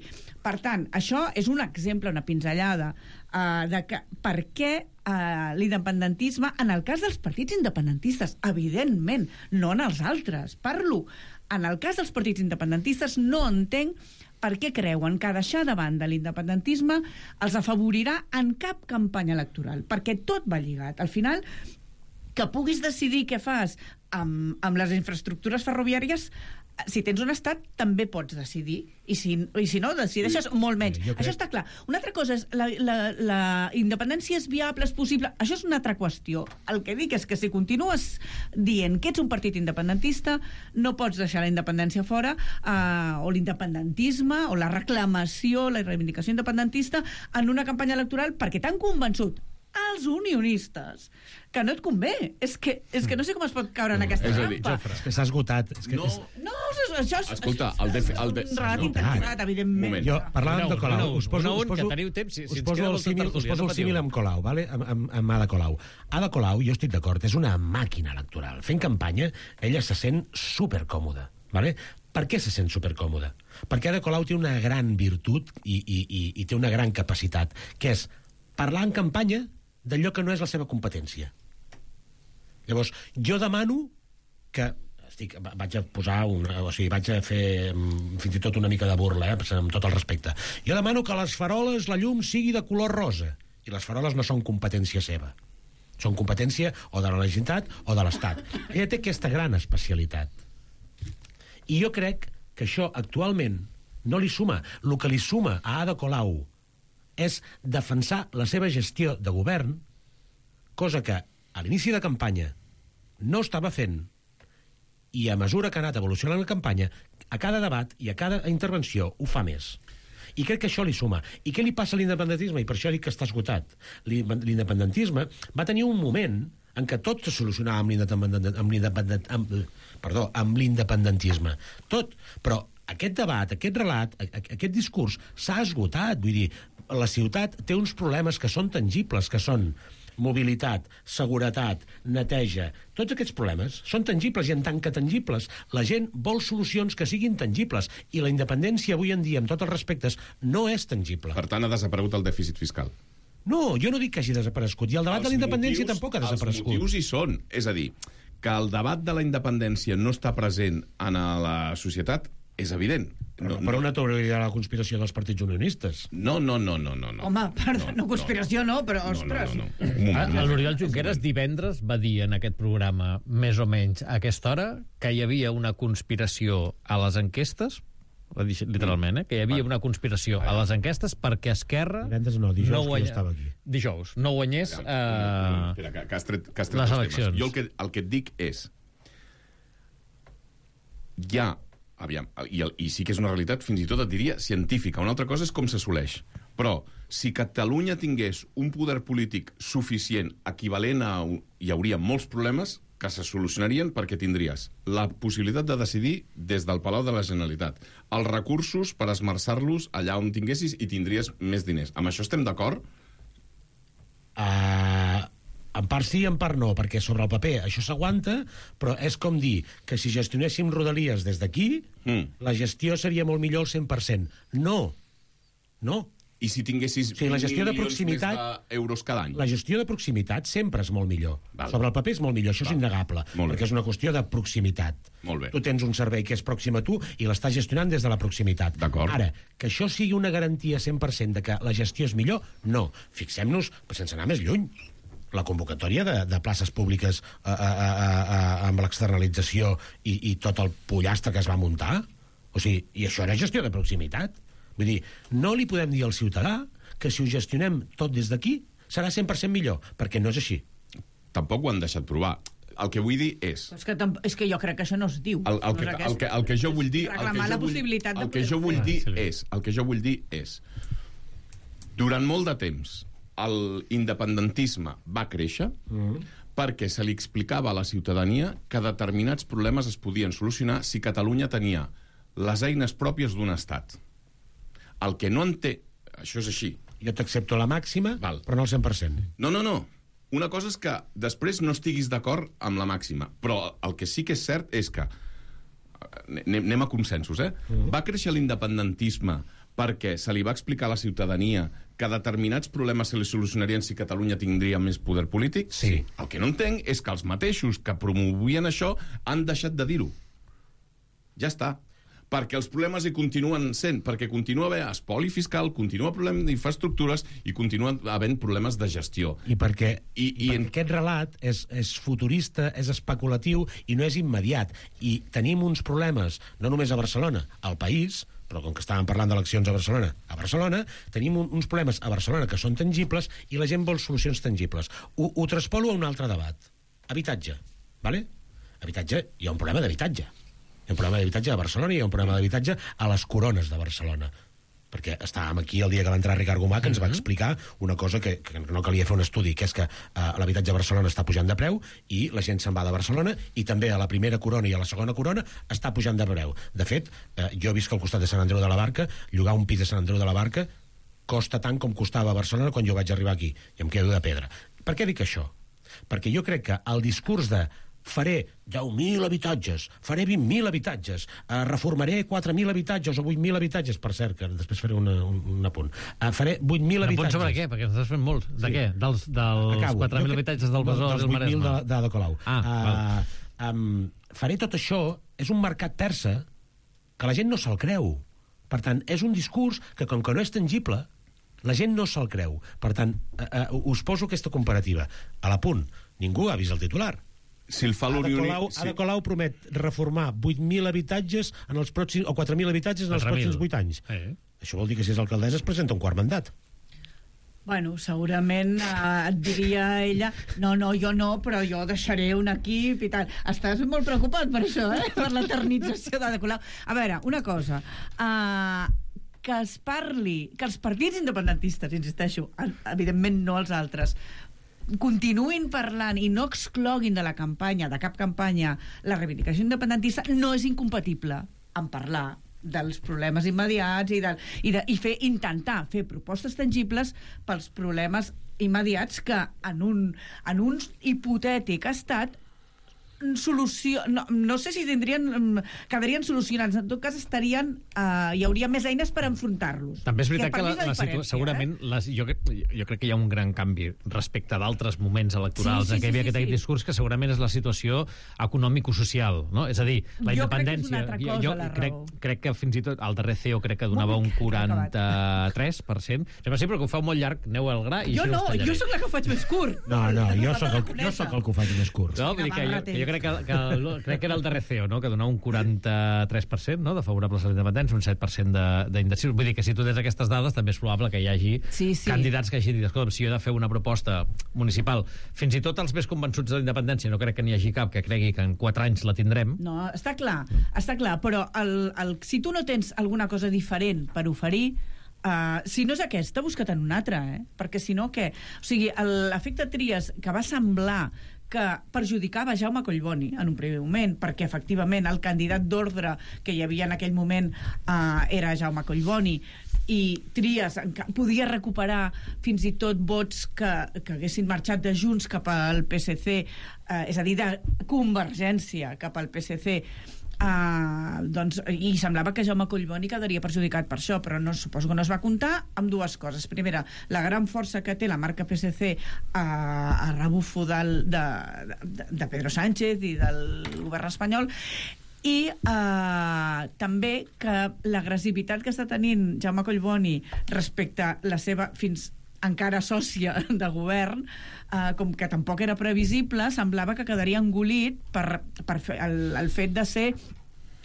Speaker 8: Per tant, això és un exemple, una pinzellada uh, de que, per què uh, l'independentisme, en el cas dels partits independentistes, evidentment, no en els altres, parlo. En el cas dels partits independentistes no entenc per què creuen que deixar de banda l'independentisme els afavorirà en cap campanya electoral, perquè tot va lligat. Al final, que puguis decidir què fas amb, amb les infraestructures ferroviàries, si tens un estat, també pots decidir. I si, i si no, decideixes molt menys.
Speaker 7: crec...
Speaker 8: Això està clar. Una altra cosa és la, la, la independència és viable, és possible. Això és una altra qüestió. El que dic és que si continues dient que ets un partit independentista, no pots deixar la independència fora, eh, o l'independentisme, o la reclamació, la reivindicació independentista en una campanya electoral perquè t'han convençut als unionistes que no et convé. És que, és que no sé com es pot caure en aquesta
Speaker 9: és a dir,
Speaker 8: trampa.
Speaker 7: És que s'ha esgotat. És que
Speaker 9: No.
Speaker 7: és...
Speaker 8: No, això és...
Speaker 9: Escolta, el de- el de-
Speaker 8: un relat
Speaker 9: no.
Speaker 8: intencionat, evidentment.
Speaker 9: Moment.
Speaker 7: Jo, parlàvem
Speaker 2: Una
Speaker 7: de
Speaker 2: un,
Speaker 7: Colau.
Speaker 2: una un,
Speaker 7: Us poso,
Speaker 2: una un,
Speaker 7: us poso,
Speaker 2: que teniu temps, si- si
Speaker 7: us
Speaker 2: ens
Speaker 7: poso
Speaker 2: queda
Speaker 7: el
Speaker 2: molta
Speaker 7: símil, us
Speaker 2: tertúlia,
Speaker 7: poso
Speaker 2: no
Speaker 7: el símil
Speaker 2: patiu.
Speaker 7: amb Colau, vale? amb, amb, amb Ada Colau. Ada Colau, jo estic d'acord, és una màquina electoral. Fent campanya, ella se sent supercòmoda. Vale? Per què se sent supercòmoda? Perquè Ada Colau té una gran virtut i, i, i, i té una gran capacitat, que és parlar en campanya d'allò que no és la seva competència. Llavors, jo demano que... Estic, vaig a posar una, o sigui, vaig a fer mm, fins i tot una mica de burla, eh, amb tot el respecte. Jo demano que a les faroles la llum sigui de color rosa, i les faroles no són competència seva. Són competència o de la Generalitat o de l'Estat. Ella té aquesta gran especialitat. I jo crec que això actualment no li suma. El que li suma a Ada Colau és defensar la seva gestió de govern, cosa que a l'inici de campanya no estava fent, i a mesura que ha anat evolucionant la campanya, a cada debat i a cada intervenció ho fa més. I crec que això li suma. I què li passa a l'independentisme? I per això dic que està esgotat. L'independentisme va tenir un moment en què tot se solucionava amb l'independent, amb l'independent, amb, perdó, amb l'independentisme. Tot. Però aquest debat, aquest relat, aquest discurs s'ha esgotat. Vull dir, la ciutat té uns problemes que són tangibles, que són mobilitat, seguretat, neteja. Tots aquests problemes són tangibles i en tant que tangibles la gent vol solucions que siguin tangibles i la independència avui en dia, amb tots els respectes, no és tangible.
Speaker 9: Per tant, ha desaparegut el dèficit fiscal.
Speaker 7: No, jo no dic que hagi desaparegut. I el debat
Speaker 9: Els
Speaker 7: de la independència
Speaker 9: motius-
Speaker 7: tampoc ha desaparegut.
Speaker 9: Els motius hi són. És a dir, que el debat de la independència no està present en la societat és evident.
Speaker 7: No, per una teoria de la conspiració dels partits unionistes.
Speaker 9: No, no, no, no, no. no.
Speaker 8: Home, perdó, no, conspiració no, però, ostres...
Speaker 9: No, no, no. Un moment.
Speaker 2: Ah, L'Oriol Junqueras divendres va dir en aquest programa, més o menys a aquesta hora, que hi havia una conspiració a les enquestes, va dir literalment, eh? que hi havia una conspiració a les enquestes perquè Esquerra...
Speaker 7: Divendres no, dijous
Speaker 2: no
Speaker 7: que jo estava aquí.
Speaker 2: Dijous, no guanyés
Speaker 9: No,
Speaker 2: eh,
Speaker 9: no, espera, que, que has tret, que has tret
Speaker 2: les
Speaker 9: els
Speaker 2: eleccions.
Speaker 9: temes. Jo el que, el que et dic és... Hi ha... Aviam, i, el, i sí que és una realitat, fins i tot et diria, científica. Una altra cosa és com s'assoleix. Però, si Catalunya tingués un poder polític suficient, equivalent a... Hi hauria molts problemes que se solucionarien perquè tindries la possibilitat de decidir des del Palau de la Generalitat, els recursos per esmerçar-los allà on tinguessis i tindries més diners. Amb això estem d'acord?
Speaker 7: Uh, en part sí, en part no, perquè sobre el paper això s'aguanta, però és com dir que si gestionéssim Rodalies des d'aquí,
Speaker 9: Mm.
Speaker 7: la gestió seria molt millor al cent per cent. No. No.
Speaker 9: I si tinguessis
Speaker 7: Sí, la gestió de
Speaker 9: milions
Speaker 7: proximitat-
Speaker 9: més d'euros cada any?
Speaker 7: La gestió de proximitat sempre és molt millor.
Speaker 9: Val.
Speaker 7: Sobre el paper és molt millor, això
Speaker 9: Val.
Speaker 7: és innegable,
Speaker 9: Molt bé.
Speaker 7: perquè és una qüestió de proximitat.
Speaker 9: Molt bé.
Speaker 7: Tu tens un servei que és pròxim a tu i l'estàs gestionant des de la proximitat.
Speaker 9: D'acord.
Speaker 7: Ara, que això sigui una garantia cent per cent de que la gestió és millor, no. Fixem-nos, sense anar més lluny, la convocatòria de, de places públiques a, a, a, a, amb l'externalització i, i tot el pollastre que es va muntar, o sigui, i això era gestió de proximitat. Vull dir, no li podem dir al ciutadà que si ho gestionem tot des d'aquí serà cent per cent millor, perquè no és així.
Speaker 9: Tampoc ho han deixat provar. El que vull dir és...
Speaker 8: És que, tamp- és que jo crec que això no es diu.
Speaker 9: El, el, que,
Speaker 8: no és
Speaker 9: el, que, el que jo vull dir... El
Speaker 8: Reclamar
Speaker 9: que
Speaker 8: la
Speaker 9: jo vull,
Speaker 8: possibilitat de
Speaker 9: el que
Speaker 8: poder
Speaker 9: jo vull
Speaker 8: fer.
Speaker 9: dir
Speaker 2: Sí, sí.
Speaker 9: és... El que jo vull dir és... Durant molt de temps, l'independentisme va créixer mm. perquè se li explicava a la ciutadania que determinats problemes es podien solucionar si Catalunya tenia les eines pròpies d'un estat. El que no en té... Això és així.
Speaker 7: Jo t'accepto la màxima,
Speaker 9: Val.
Speaker 7: però no al cent per cent.
Speaker 9: No, no, no. Una cosa és que després no estiguis d'acord amb la màxima, però el que sí que és cert és que... Anem, anem a consensos, eh? Mm. Va créixer l'independentisme perquè se li va explicar a la ciutadania que determinats problemes se li solucionarien si Catalunya tindria més poder polític?
Speaker 7: Sí.
Speaker 9: El que no entenc és que els mateixos que promovien això han deixat de dir-ho. Ja està. perquè els problemes hi continuen sent, perquè continua havent espoli fiscal, continua problema d'infraestructures i continua havent problemes de gestió.
Speaker 7: I perquè,
Speaker 9: I, i
Speaker 7: perquè
Speaker 9: en...
Speaker 7: aquest relat és, és futurista, és especulatiu i no és immediat. I tenim uns problemes, no només a Barcelona, al país, però com que estàvem parlant d'eleccions a Barcelona, a Barcelona tenim un, uns problemes a Barcelona que són tangibles i la gent vol solucions tangibles. Ho, ho traspolo a un altre debat. Habitatge, vale? Habitatge, hi ha un problema d'habitatge. Hi ha un problema d'habitatge a Barcelona i hi ha un problema d'habitatge a les corones de Barcelona. Perquè estàvem aquí el dia que va entrar Ricard Gomà, que ens va explicar una cosa que, que no calia fer un estudi, que és que eh, l'habitatge a Barcelona està pujant de preu i la gent se'n va de Barcelona i també a la primera corona i a la segona corona està pujant de preu. De fet, eh, jo he vist que al costat de Sant Andreu de la Barca, llogar un pis de Sant Andreu de la Barca costa tant com costava a Barcelona quan jo vaig arribar aquí, i em quedo de pedra. Per què dic això? Perquè jo crec que el discurs de faré deu mil habitatges, faré vint mil habitatges, eh, reformaré quatre mil habitatges o vuit mil habitatges, per cert, que després faré una, un, un apunt. Eh, faré vuit mil habitatges.
Speaker 2: Un apunt sobre què? Perquè estàs fent molts. De
Speaker 7: sí.
Speaker 2: què? Dels, dels quatre mil habitatges del Besòs i el Maresme?
Speaker 7: Dels vuit mil de, de Ada Colau.
Speaker 2: Ah,
Speaker 7: uh, um, faré tot això, és un mercat persa que la gent no se'l creu. Per tant, és un discurs que, com que no és tangible, la gent no se'l creu. Per tant, uh, uh, us poso aquesta comparativa. A l'apunt, ningú ha vist el titular.
Speaker 9: Si el fa
Speaker 7: Ada
Speaker 9: l'Unió...
Speaker 7: Colau,
Speaker 9: sí.
Speaker 7: Ada Colau promet reformar vuit mil habitatges en els pròxims, o quatre mil habitatges en els pròxims vuit anys.
Speaker 2: Eh.
Speaker 7: Això vol dir que si és alcaldessa es presenta un quart mandat.
Speaker 8: Bueno, segurament eh, et diria ella no, no, jo no, però jo deixaré un equip i tal. Estàs molt preocupat per això, eh? Per l'eternització d'Ada Colau. A veure, una cosa... Uh, que es parli, que els partits independentistes, insisteixo, evidentment no els altres, continuïn parlant i no excloguin de la campanya, de cap campanya, la reivindicació independentista, no és incompatible amb parlar dels problemes immediats i, de, i, de, i fer, intentar fer propostes tangibles pels problemes immediats que en un, en un hipotètic estat solució... No, no sé si tindrien... quedarien solucionats. En tot cas, estarien... Uh, hi hauria més eines per enfrontar-los.
Speaker 2: També és veritat que,
Speaker 8: que
Speaker 2: la,
Speaker 8: la,
Speaker 2: la situa... segurament eh? les, jo, jo crec que hi ha un gran canvi respecte d'altres moments electorals sí, sí, en què hi havia sí, aquest sí, discurs que segurament és la situació econòmico-social, no? És a dir, la
Speaker 8: jo
Speaker 2: independència...
Speaker 8: Crec que és una altra cosa,
Speaker 2: jo
Speaker 8: la
Speaker 2: crec,
Speaker 8: raó.
Speaker 2: crec que fins i tot el darrer C E O crec que donava un quaranta-tres per cent. Sembla sí, però que ho feu molt llarg, aneu al gra i
Speaker 8: jo no, jo sóc la que ho faig més curt.
Speaker 7: No, no, jo sóc el, jo sóc el que ho faig més curt.
Speaker 2: No, vull dir que jo, que jo crec que, que crec que era el darrer C E O, no? Que donava un quaranta-tres per cent, no? De favorables a la independència, un set per cent d'indecisos. Vull dir que si tu tens aquestes dades també és probable que hi hagi
Speaker 8: sí, sí.
Speaker 2: candidats que hagin dit, escolta, si jo he de fer una proposta municipal, fins i tot els més convençuts de la independència, no crec que n'hi hagi cap que cregui que en quatre anys la tindrem.
Speaker 8: No, està clar, està clar, però el, el, si tu no tens alguna cosa diferent per oferir, Uh, si no és aquesta, busca't en una altra, eh? Perquè si no, què? O sigui, l'efecte Trias, que va semblar que perjudicava Jaume Collboni en un primer moment, perquè efectivament el candidat d'ordre que hi havia en aquell moment uh, era Jaume Collboni, i Trias podia recuperar fins i tot vots que, que haguessin marxat de Junts cap al P S C, uh, és a dir, de Convergència cap al P S C. Uh, doncs, i semblava que Jaume Collboni quedaria perjudicat per això, però no, suposo que no es va comptar amb dues coses. Primera, la gran força que té la marca P S C uh, a rebufo del, de, de, de Pedro Sánchez i del govern espanyol, i uh, també que l'agressivitat que està tenint Jaume Collboni respecte a la seva fins encara sòcia de govern, eh, com que tampoc era previsible, semblava que quedaria engolit per, per fer el, el fet de ser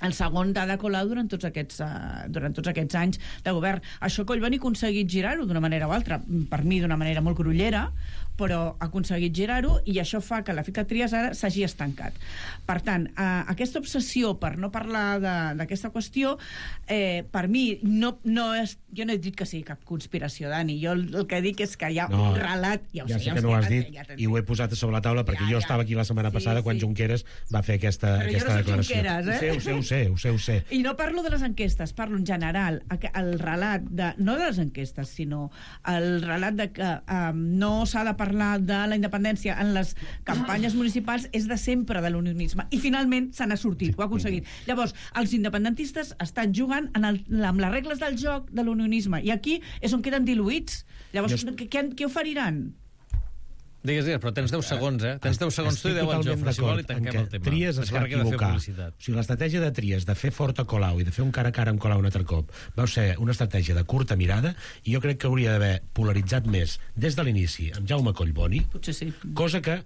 Speaker 8: el segon d'Ada Colau durant tots aquests, uh, durant tots aquests anys de govern. Això Collboni ha aconseguit girar-ho d'una manera o altra, per mi d'una manera molt grollera, però ha aconseguit girar-ho, i això fa que l'efecte Trias ara s'hagi estancat. Per tant, eh, aquesta obsessió per no parlar d'aquesta qüestió, eh, per mi, no, no és, jo no he dit que sigui cap conspiració, Dani. Jo el, el que dic és que hi ha no, un relat... Ja, ho
Speaker 7: ja
Speaker 8: sé,
Speaker 7: sé
Speaker 8: ja
Speaker 7: que
Speaker 8: ho
Speaker 7: no ho
Speaker 8: sé,
Speaker 7: has dit, ja, ja i ho he posat a sobre la taula, perquè ja, jo ja. estava aquí la setmana passada sí, quan sí. Junqueras va fer aquesta,
Speaker 8: però
Speaker 7: aquesta
Speaker 8: jo no
Speaker 7: declaració.
Speaker 8: Junqueras, eh?
Speaker 7: Ho sé, ho sé, ho sé, ho sé.
Speaker 8: I no parlo de les enquestes, parlo en general, el relat de, no de les enquestes, sinó el relat de que um, no s'ha de parlar de la independència en les campanyes municipals és de sempre de l'unionisme, i finalment se n'ha sortit, ho ha aconseguit. Llavors, els independentistes estan jugant en el, amb les regles del joc de l'unionisme, i aquí és on queden diluïts. Llavors, jo... què, què oferiran?
Speaker 2: Digues, digues, però tens deu segons, eh? Tens deu segons tu i deu el Jofre, si vol, i tanquem el tema.
Speaker 7: Trias es va equivocar. O sigui, l'estratègia de Trias de fer fort a Colau i de fer un cara a cara amb Colau un altre cop va ser una estratègia de curta mirada i jo crec que hauria d'haver polaritzat més des de l'inici amb Jaume Collboni,
Speaker 8: potser sí,
Speaker 7: cosa que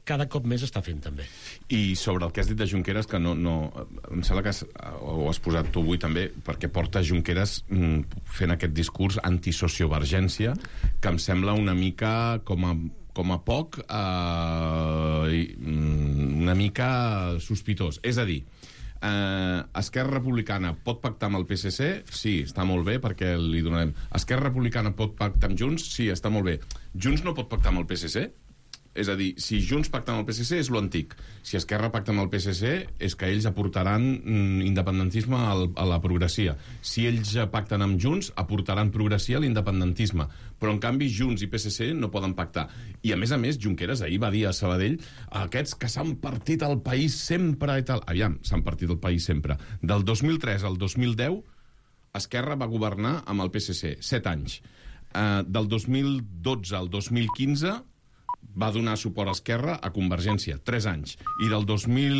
Speaker 7: cada cop més està fent també.
Speaker 9: I sobre el que has dit de Junqueras, que no, no, em sembla que has, ho has posat tu avui també, perquè porta Junqueras mm, fent aquest discurs antisociovergència, que em sembla una mica com a, com a poc eh, una mica sospitós. És a dir, eh, Esquerra Republicana pot pactar amb el P S C? Sí, està molt bé, perquè li donarem. Esquerra Republicana pot pactar amb Junts? Sí, està molt bé. Junts no pot pactar amb el P S C? És a dir, si Junts pacta amb el P S C és lo antic. Si Esquerra pacta amb el P S C és que ells aportaran mm, independentisme al, a la progressia. Si ells pacten amb Junts, aportaran progressia a l'independentisme. Però, en canvi, Junts i P S C no poden pactar. I, a més a més, Junqueras ahir va dir a Sabadell aquests que s'han partit el país sempre i tal. Aviam, s'han partit el país sempre. Del dos mil tres al dos mil deu, Esquerra va governar amb el P S C, set anys. Uh, del dos mil dotze al dos mil quinze va donar suport a Esquerra a Convergència, tres anys. I del dos mil